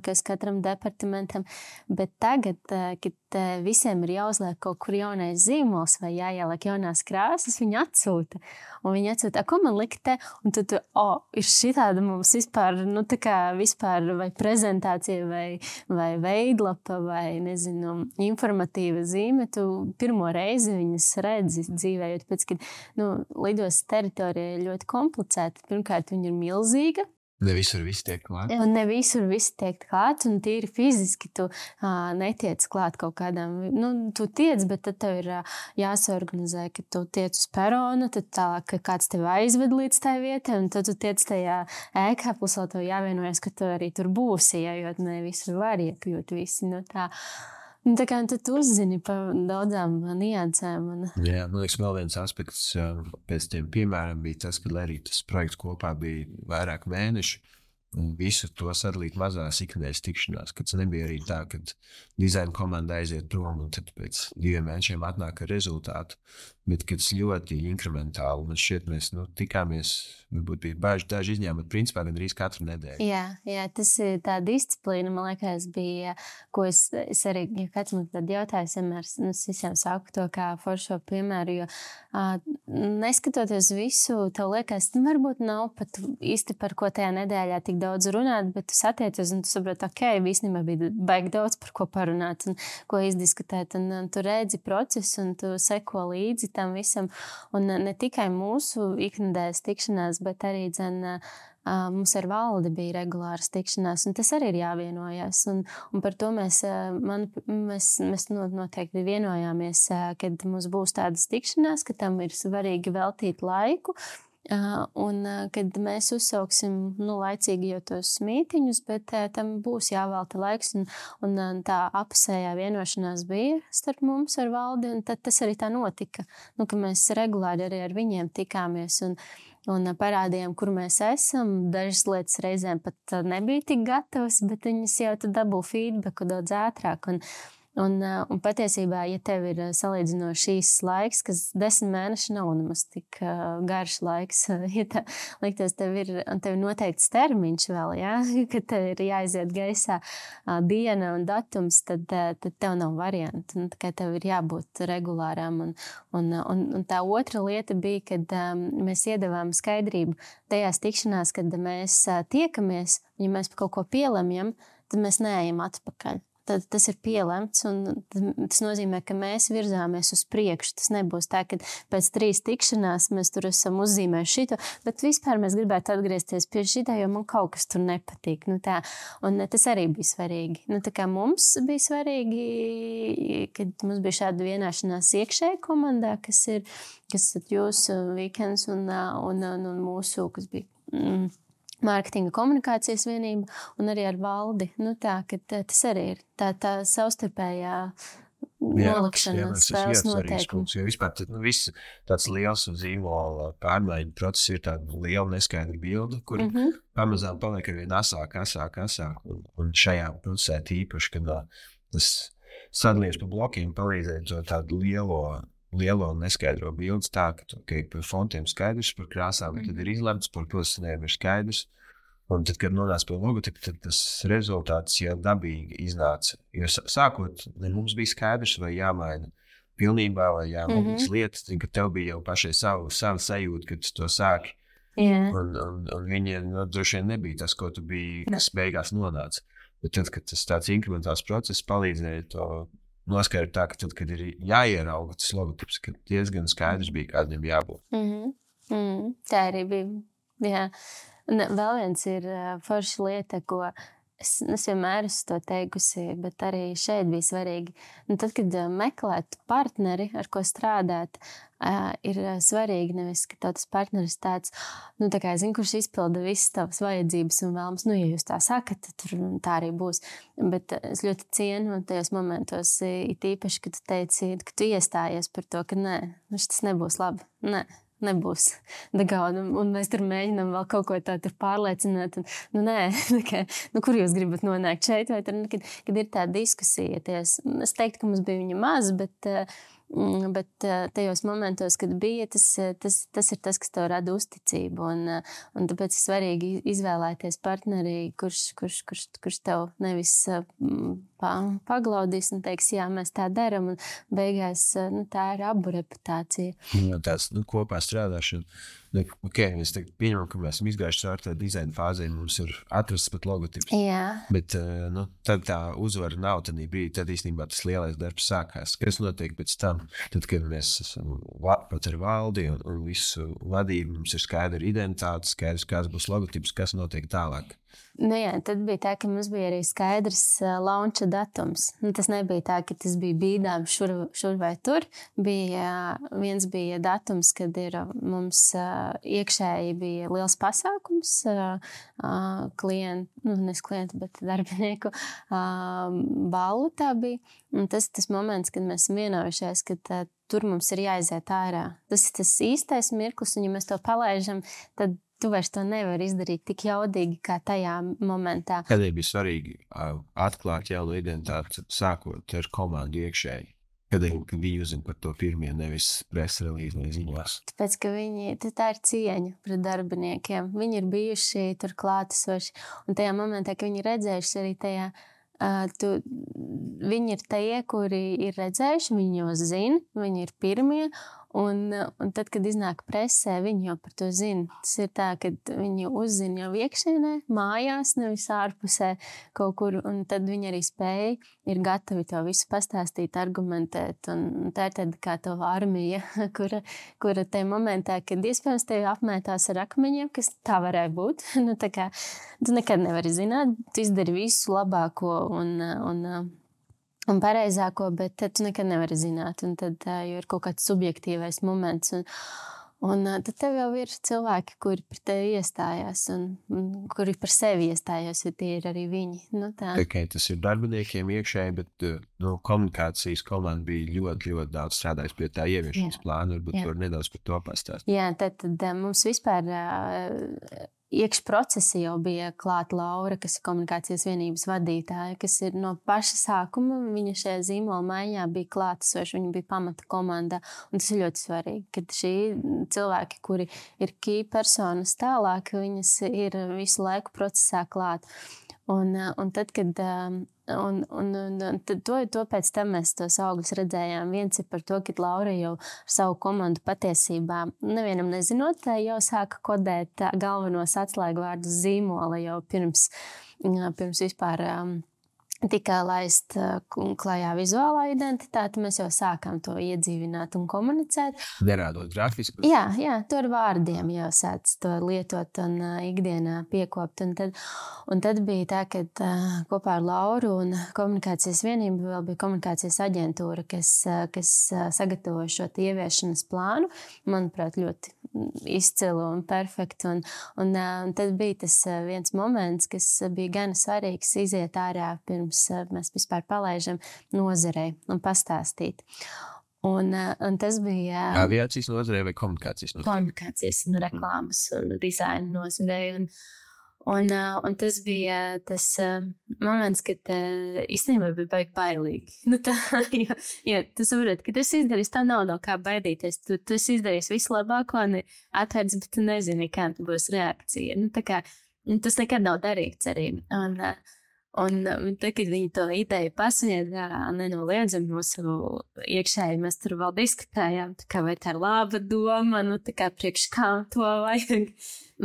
kas katram departamentam, bet tagad, kad visiem ir jāuzliek kaut kur jaunais zīmols vai jāieliek jaunās krāsas, viņi atsūta. Un viņi atsūta, ko man likt te? Un tad, ir šitāda mums vispār, tā kā vispār vai prezentācija vai veidlapa vai, nezinu, informatīva zīme. Tu pirmo reizi viņas redzi dzīvējot, pēc, kad, lidostas teritorija ir ļoti komplicēta. Pirmkārt, viņa ir milzīga. Ne visur viss tiek klāt. Un ne visur viss tiek klāt, un tīri fiziski tu netiec klāt kaut kādām, tu tiec, bet tad tev ir jāsaorganizē, ka tu tiec uz peronu, tad tālāk, ka kāds tev aizved līdz tai vietai, un tad tu tiec tajā ēkā, plus vēl tev jāvienojas, ka tu arī tur būsi, jo ne visur var iekļūt visi no tā. Tā kā tad tu uzzini par daudzām niansēm. Jā, man liekas, vēl viens aspekts pēc tiem piemēram bija tas, ka arī tas projekts kopā bija vairāk mēneši. Visu to sadalīt mazās ikdienas tikšanās, kad nebija arī tā, ka dizaina komanda aiziet prom un tad pēc 2 mēnešiem atnāk ar rezultātu, bet kad tas ļoti inkrementāli. Man šķiet, mēs tikāmies, varbūt bija daži izņēmumi, bet principā gandrīz katru nedēļu. Jā, tas ir tā disciplīna, man liekas, bija, ko es arī, ja kāds man tad jautājas, vienmēr es visiem saku to kā foršo piemēru, jo neskatoties visu, tev liekas, varbūt nav pat īsti par ko tajā nedēļā tik daudz runāt, bet tu satiecies un tu saproti, īstenībā bija baigi daudz par ko parunāt un ko izdiskutēt, un tu redzi procesu un tu seko līdzi tam visam, un ne tikai mūsu iknedēļas tikšanās, bet arī mums ar valdi bija regulāras tikšanās, un tas arī ir jāvienojas, un par to mēs noteikti vienojāmies, kad mums būs tādas tikšanās, ka tam ir svarīgi veltīt laiku, un kad mēs uzsauksim laicīgi jau tos mītiņus, bet tam būs jāvelta laiks, un tā apusējā vienošanās bija starp mums ar valdi, un tad tas arī tā notika, ka mēs regulāri arī ar viņiem tikāmies un parādījām, kur mēs esam. Dažas lietas reizēm pat nebija tik gatavas, bet viņas jau tad dabū feedbacku daudz ātrāk, Un patiesībā, ja tev ir salīdzinoši īsts laiks, kas 10 mēneši nav nemaz tik garš laiks, ja tā liktos, tev ir noteikts termiņš vēl, ja? Kad tev ir jāiziet gaisā diena un datums, tad tev nav variantu. Nu, tā kā tev ir jābūt regulārām. Un tā otra lieta bija, kad mēs iedavām skaidrību tajās tikšanās, kad mēs tiekamies, ja mēs par kaut ko pielemjam, tad mēs neejam atpakaļ. Tad tas ir pielemts, un tas nozīmē, ka mēs virzāmies uz priekšu. Tas nebūs tā, ka pēc 3 tikšanās mēs tur esam uzzīmējuši šito, bet vispār mēs gribētu atgriezties pie šitā, jo man kaut kas tur nepatīk. Nu, tā. Un tas arī bija svarīgi. Nu, tā kā mums bija svarīgi, kad mums bija šāda vienāšanās iekšēji komandā, kas ir jūsu Weekends un mūsu, kas bija mārketinga komunikācijas vienība, un arī ar valdi. Nu, tā, ka tas arī ir tā savstarpējā nolikšana spēles noteikums. Jo vispār viss tāds liels un zīmola pārmaiņu process ir tāda liela neskaidra bilde, kur pamazām paliek arvien asāk. Un šajā procesē tīpaši, kad tas sadalies pa blokiem, palīdzēja to tādu lielo un neskaidro bildes tā, ka par fontiem skaidrs, par krāsām tad ir izlemts, par pilsētnēm ir skaidrs. Un tad, kad nonāca pie logotipa, tad tas rezultāts jau dabīgi iznāca. Jo sākot, mums bija skaidrs, vai jāmaina pilnībā, vai jāmaina lietas, ka tev bija jau pašai savu sajūtu, kad tu to sāki. Yeah. Un viņiem droši vien nebija tas, ko tu biji, kas beigās nonāca. Bet tad, kad tas tāds inkrementāls process palīdzēja to noskaidrot tā, ka tad, kad ir jāierauga tas logotips, ka diezgan skaidrs bija, kādiem jābūt. Tā arī bija. Jā. Un vēl viens ir forša lieta, ko es vienmēr esmu to teikusi, bet arī šeit bija svarīgi. Un tad, kad meklēt partneri, ar ko strādāt, ir svarīgi nevis, ka tas partneris tāds, tā kā zinu, kurš izpilda visas tavas vajadzības un vēlams, ja jūs tā sakat, tad tā arī būs. Bet es ļoti cienu tajos momentos, it īpaši, kad tu teici, ka tu iestājies par to, ka nē, tas nebūs labi. Nē. Nebūs. Un mēs tur mēģinām vēl kaut ko tādu pārliecināt. Nē, kur jūs gribat nonākt šeit? Vai tur, kad ir tā diskusija. Es teiktu, ka mums bija viņa maz, bet tajos momentos, kad bija, tas ir tas, kas tev rada uzticību. Un tāpēc ir svarīgi izvēlēties partneri, kurš tev nevis paglaudīs un teiks, jā, mēs tā daram. Un beigās tā ir abu reputācija. Tāds kopā strādāšana. Mēs pieņemam, ka mēs esam izgājuši caur tā dizaina fāzē, mums ir atrasts pat logotips. Jā. Bet tad tā uzvara nav tādā brīdī, tad īstenībā tas lielais darbs sākās. Kas notiek pēc tam? Tad, kad mēs esam pat ar valdi un visu vadību, mums ir skaidra identitāte, skaidrs, kāds būs logotips, kas notiek tālāk. Jā, tad bija tā, ka mums bija arī skaidrs launcha datums. Tas nebija tā, ka tas bija bīdām šur vai tur. Viens bija datums, kad mums iekšēji bija liels pasākums bet darbinieku ballu tā bija. Un tas moments, kad mēs vienojušies, ka tur mums ir jāiziet ārā. Tas ir tas īstais mirklis, un ja mēs to palaižam, tad tu vairs to nevari izdarīt tik jaudīgi, kā tajā momentā. Kādēļ bija svarīgi atklāt jaunu identitāti, sākot ar komandu iekšēji? Kādēļ viņi uzzina par to pirmie, nevis presa relīzi vai ziņās? Tāpēc, ka tā ir cieņa pret darbiniekiem. Viņi ir bijuši tur klātesoši. Un tajā momentā, ka viņi redzējuši arī tajā, viņi ir tie, kuri ir redzējuši, viņi jau zina, viņi ir pirmie. Un tad, kad iznāk presē, viņi jau par to zina. Tas ir tā, ka viņi uzzina jau iekšienē, mājās, nevis ārpusē kaut kur. Un tad viņi arī spēja, ir gatavi to visu pastāstīt, argumentēt. Un tā ir tāda kā tava armija, kura tajā momentā, kad iespējams tevi apmētās ar akmeņiem, kas tā varēja būt. Tā kā tu nekad nevari zināt, tu izdari visu labāko un pareizāko, bet tu nekad nevari zināt. Un tad, jo ir kaut kāds subjektīvais moments. Un tad tev jau ir cilvēki, kuri par tevi iestājās un kuri par sevi iestājās, jo tie ir arī viņi. Okay, tas ir darbiniekiem iekšēji, bet komunikācijas komanda bija ļoti, ļoti daudz strādājis pie tā ieviešanas plāna. Varbūt var nedaudz par to pastāstīt. Jā, tad mums vispār iekšprocesi jau bija klāta Laura, kas ir komunikācijas vienības vadītāja, kas ir no paša sākuma. Viņa šajā zīmola maiņā bija klātesoša, viņa bija pamata komanda. Un tas ir ļoti svarīgi, ka šī cilvēki, kuri ir key personas tālāk, viņas ir visu laiku procesā klāt. Un tad, kad to pēc tam mēs tos augļus redzējām. Viens ir par to, ka Laura jau ar savu komandu patiesībā, nevienam nezinot, jau sāka kodēt galvenos atslēgvārdus zīmola jau pirms vispār tika laist klajā vizuālā identitāte. Mēs jau sākām to iedzīvināt un komunicēt. Nerādot grafiskus. Jā, to ar vārdiem jau sāc to lietot un ikdienā piekopt. Un tad bija tā, ka kopā ar Lauru un komunikācijas vienību vēl bija komunikācijas aģentūra, kas sagatavoja šo ieviešanas plānu. Manuprāt, ļoti izcilu un perfektu. Un tad bija tas viens moments, kas bija gan svarīgs iziet ārā pirms mēs vispār palaižam nozarei un pastāstīt. Un tas bija aviācijas nozarei vai komunikācijas nozarei? Komunikācijas un reklāmas un dizaina nozarei. Un tas bija tas moments, kad īstenībā bija bailīgi. Jo tu saproti, ka tu esi izdarījis, tā nav no kā baidīties. Tu esi izdarījis visu labāko un atvērts, bet tu nezini, kāda būs reakcija. Tas nekad nav darīts arī. Un tad, kad viņi to ideju pasniedza, nenoliedzami mūsu iekšēji, mēs tur vēl diskutējām, vai tā ir laba doma, priekš kā to vajag,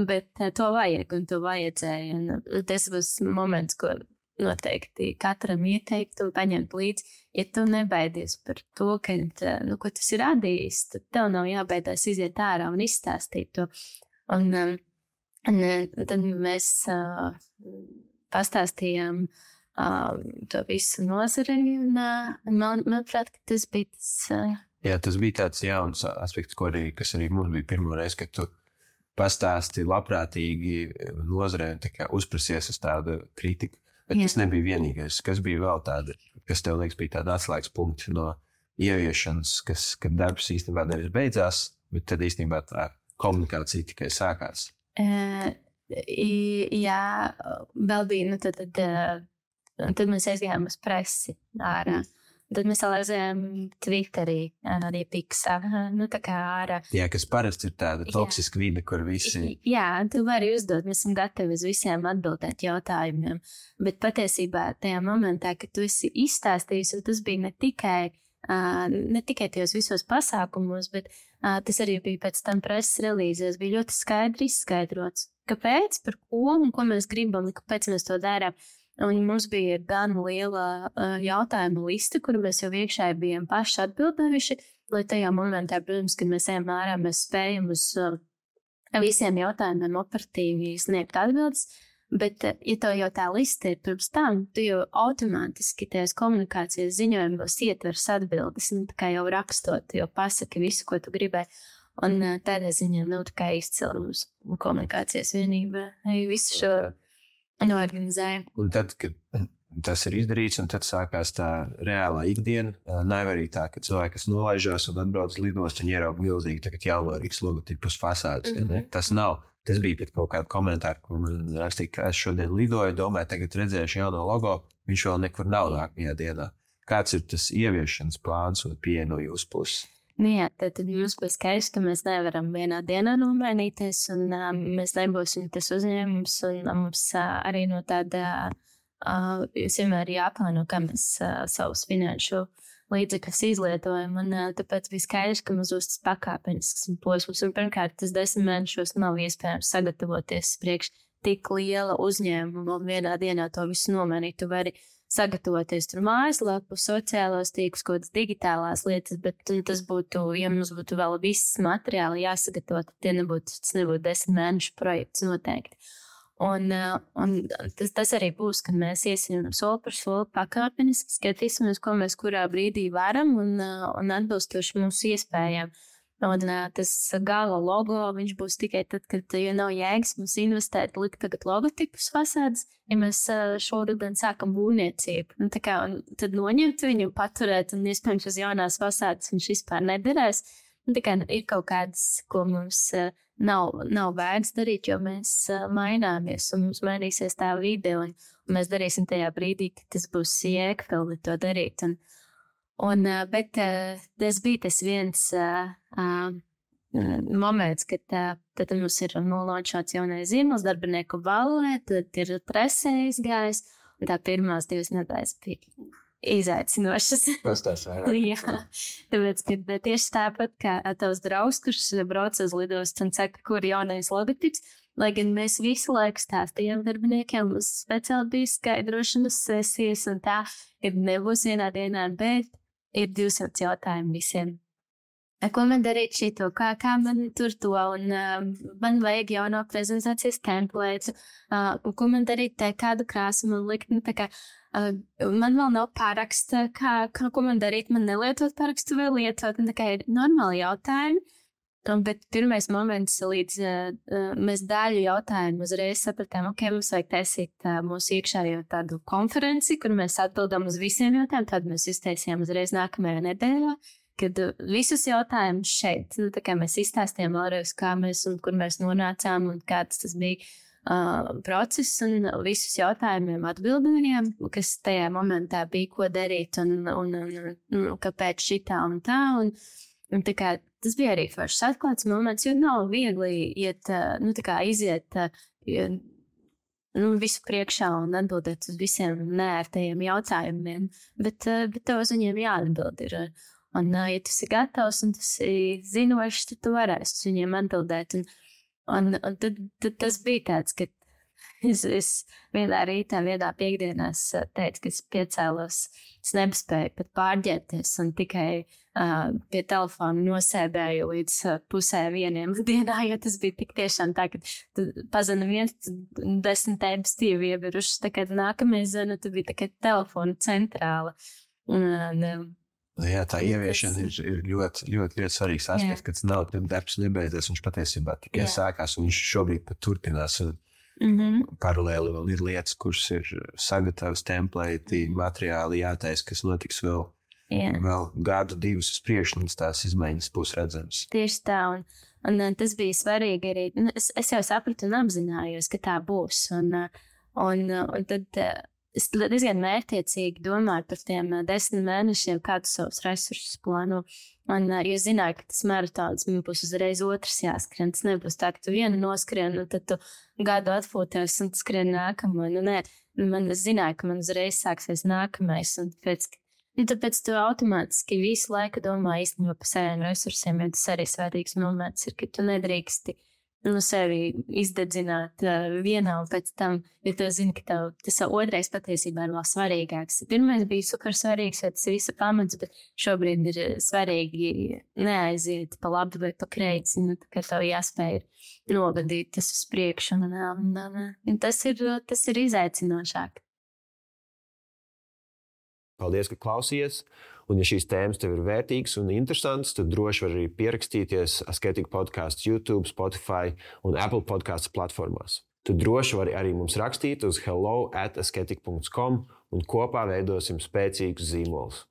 bet to vajag un to vajadzēja. Un tas būs moments, ko noteikti katram ieteiktu paņemt līdzi. Ja tu nebaidies par to, ko tas ir radījis, tad tev nav jābaidās iziet ārā un izstāstīt to. Un tad mēs pastāstījām to visu nozarei, un manuprāt, ka tas bija tas. Jā, tas bija tāds jauns aspekts, kas arī mums bija pirmo reizi, kad tu pastāsti labprātīgi nozarei un tā kā uzprasies uz tādu kritiku. Bet tas nebija vienīgais. Kas bija vēl tāda, kas tev liekas bija tāda atslēgas punkti no ieviešanas, kad darbs īstenībā nevis beidzās, bet tad īstenībā tā komunikācija tikai sākās? Jā, vēl bija, tad mēs aizgājām uz presi ārā. Tad mēs aizgājām Twitterī, arī Pixā, tā kā ārā. Jā, kas parasti ir tāda toksiska vide, kur visi... Jā, tu vari uzdot, mēs esam gatavi uz visiem atbildēt jautājumiem, bet patiesībā tajā momentā, kad tu esi izstāstījis, un tas bija ne tikai tajos visos pasākumos, bet tas arī bija pēc tam preses relīzēs, bija ļoti skaidri izskaidrots. Kāpēc, par ko un ko mēs gribam, kāpēc mēs to darām. Un mums bija gan liela jautājuma lista, kuru mēs jau iekšēji bijām paši atbildējuši, lai tajā momentā, protams, kad mēs ejam ārā, mēs spējam uz visiem jautājumiem operatīvi sniegt atbildes. Bet, ja tev jau tā lista ir pirms tam, tu jau automātiski tajās komunikācijas ziņojumos ietvers atbildes, tā kā jau rakstot, jau pasaki visu, ko tu gribēji. Un tādā ziņā nav tā kā izcila mums komunikācijas vienība. Visu šo noorganizēja. Un tad, kad tas ir izdarīts, un tad sākās tā reālā ikdiena, nav arī tā, ka cilvēki, kas nolaižās un atbrauc uz lidostu un ierauga milzīgi tagad jauno Rīgas logotipu uz fasādes. Tas nav. Tas bija pēc kaut kāda komentāra, ko man rakstīja, ka es šodien lidoju, domāju, tagad redzēšu jauno logo, viņš vēl nekur nav nākamajā dienā. Kāds ir tas ieviešanas plāns un pieeja no jūsu puses? Jā, tad mums bija skaidrs, ka mēs nevaram vienā dienā nomainīties, un mēs nebūsim tas uzņēmums, un mums arī no tāda, jūs vienmēr jāplāno, kā mēs savus finanšu līdzekļus izlietojam, un tāpēc bija skaidrs, ka mums būs tas pakāpenisks posms, un pirmkārt, tas 10 mēnešos nav iespējams sagatavoties priekš tik liela uzņēmuma, un vienā dienā to visu nomainīt. Tu vari sagatavoties tur mājaslapu, sociālos tīklus, kaut kādas digitālās lietas, bet tas būtu, ja mums būtu vēl viss materiāli jāsagatavo, tad tas nebūtu 10 mēnešu projekts noteikti. Un tas arī būs, kad mēs iesim soli par soli pakāpeniski, skatīsimies, ko mēs kurā brīdī varam un atbilstoši mūsu iespējām. Un tas gala logo, viņš būs tikai tad, kad nav jēgas mums investēt, likt tagad logotipus fasādes, ja mēs šoruden sākam būvniecību. Tad noņemt viņu, paturēt, un iespējams uz jaunās fasādes viņš vispār nederēs. Ir kaut kādas, ko mums nav vērts darīt, jo mēs maināmies un mums mainīsies tā vide, un mēs darīsim tajā brīdī, kad tas būs jēgpilni to darīt. Bet tas bija tas viens moments, kad tad mums ir nolaunčots jaunais zīmols, darbinieku balē, tad ir presē izgājis, un tā pirmās 2 nedēļas bija izaicinošas. Pastāst vairāk. Jā, tāpēc, ka tieši tāpat kā tavs draugs, kurš brauc uz lidostu un saka, kur jaunais logotips, lai gan mēs visu laiku stāstījām darbiniekiem, mums speciāli bija skaidrošanas sesijas un tā, kad nebūs vienā dienā, bet ir 200 jautājumu visiem. Ko man darīt šito, kā man tur to, un man vajag jauno prezentācijas templētu, ko man darīt te, kādu krāsu man likt, tā kā man vēl nav paraksta, ko man darīt, man nelietot parakstu vai lietot, tā kā ir normāli jautājumi, bet pirmais moments, līdz mēs daļu jautājumu uzreiz sapratām, mums vajag taisīt mūsu iekšējo tādu konferenci, kur mēs atbildam uz visiem jautājumiem, tad mēs iztaisījām uzreiz nākamajā nedēļā, kad visus jautājumus šeit, tā kā mēs izstāstījām vēlreiz, kā mēs un kur mēs nonācām un kāds tas bija process, un visus jautājumiem atbildējām, kas tajā momentā bija, ko darīt un kāpēc šitā un tā, un tā kā tas bija arī foršs atklāts moments, jo nav viegli iziet visu priekšā un atbildēt uz visiem neērtajiem jautājumiem, bet tev uz viņiem jāatbild ir. Un, ja tu esi gatavs un tu esi zinošs, tad tu varēsi uz viņiem atbildēt. Un tad tas bija tāds, ka es vienā rītā, vienā piekdienās teicu, ka es piecēlos, es nespēju pat pārģērties un tikai pie telefona nosēdēju līdz 12:30 dienā, jo tas bija tik tiešām tā, ka tu pazana 10 e-pastīvi ievirušas, tā kā nākamais zana, tu bija tā kā telefona centrāla. Jā, tā ieviešana ir ļoti, ļoti, ļoti svarīgs aspekts, ka tas nav darbs nebeidzies, viņš patiesībā tikai sākās, un viņš šobrīd pat turpinās. Paralēli vēl ir lietas, kuras ir sagatavas templēti, materiāli jātaisa, kas notiks vēl gadu, 2 uz priekšu, līdz tās izmaiņas būs redzamas. Tieši tā, un tas bija svarīgi arī. Es jau sapratu un apzinājos, ka tā būs, un tad es diezgan mērķiecīgi domāju par tiem 10 mēnešiem, kādus savus resursus plāno. Jo es zināju, ka tas maratons man būs uzreiz otrs jāskrien. Tas nebūs tā, ka tu vienu noskrien, un tad tu gadu atpūties un skrien nākamo. Es zināju, ka man uzreiz sāksies nākamais. Un tāpēc tu automātiski visu laiku domā īstenībā par saviem resursiem, jo tas arī svarīgs moments ir, ka tu nedrīksti sevi izdedzināt vienā un pēc tam, jo tu zini, ka tas otrais patiesībā ir vēl svarīgāks. Pirmais bija super svarīgs, jo tas ir visa pamats, bet šobrīd ir svarīgi neaiziet pa labi vai pa kreisi, ka tev jāspēj novadīt tas uz priekšu, un tas ir izaicinošāk. Paldies, ka klausījies! Un, ja šīs tēmas tev ir vērtīgas un interesantas, tad droši var arī pierakstīties Asketika podcasts YouTube, Spotify un Apple podcasts platformās. Tu droši vari arī mums rakstīt uz hello@asketika.com un kopā veidosim spēcīgus zīmolus.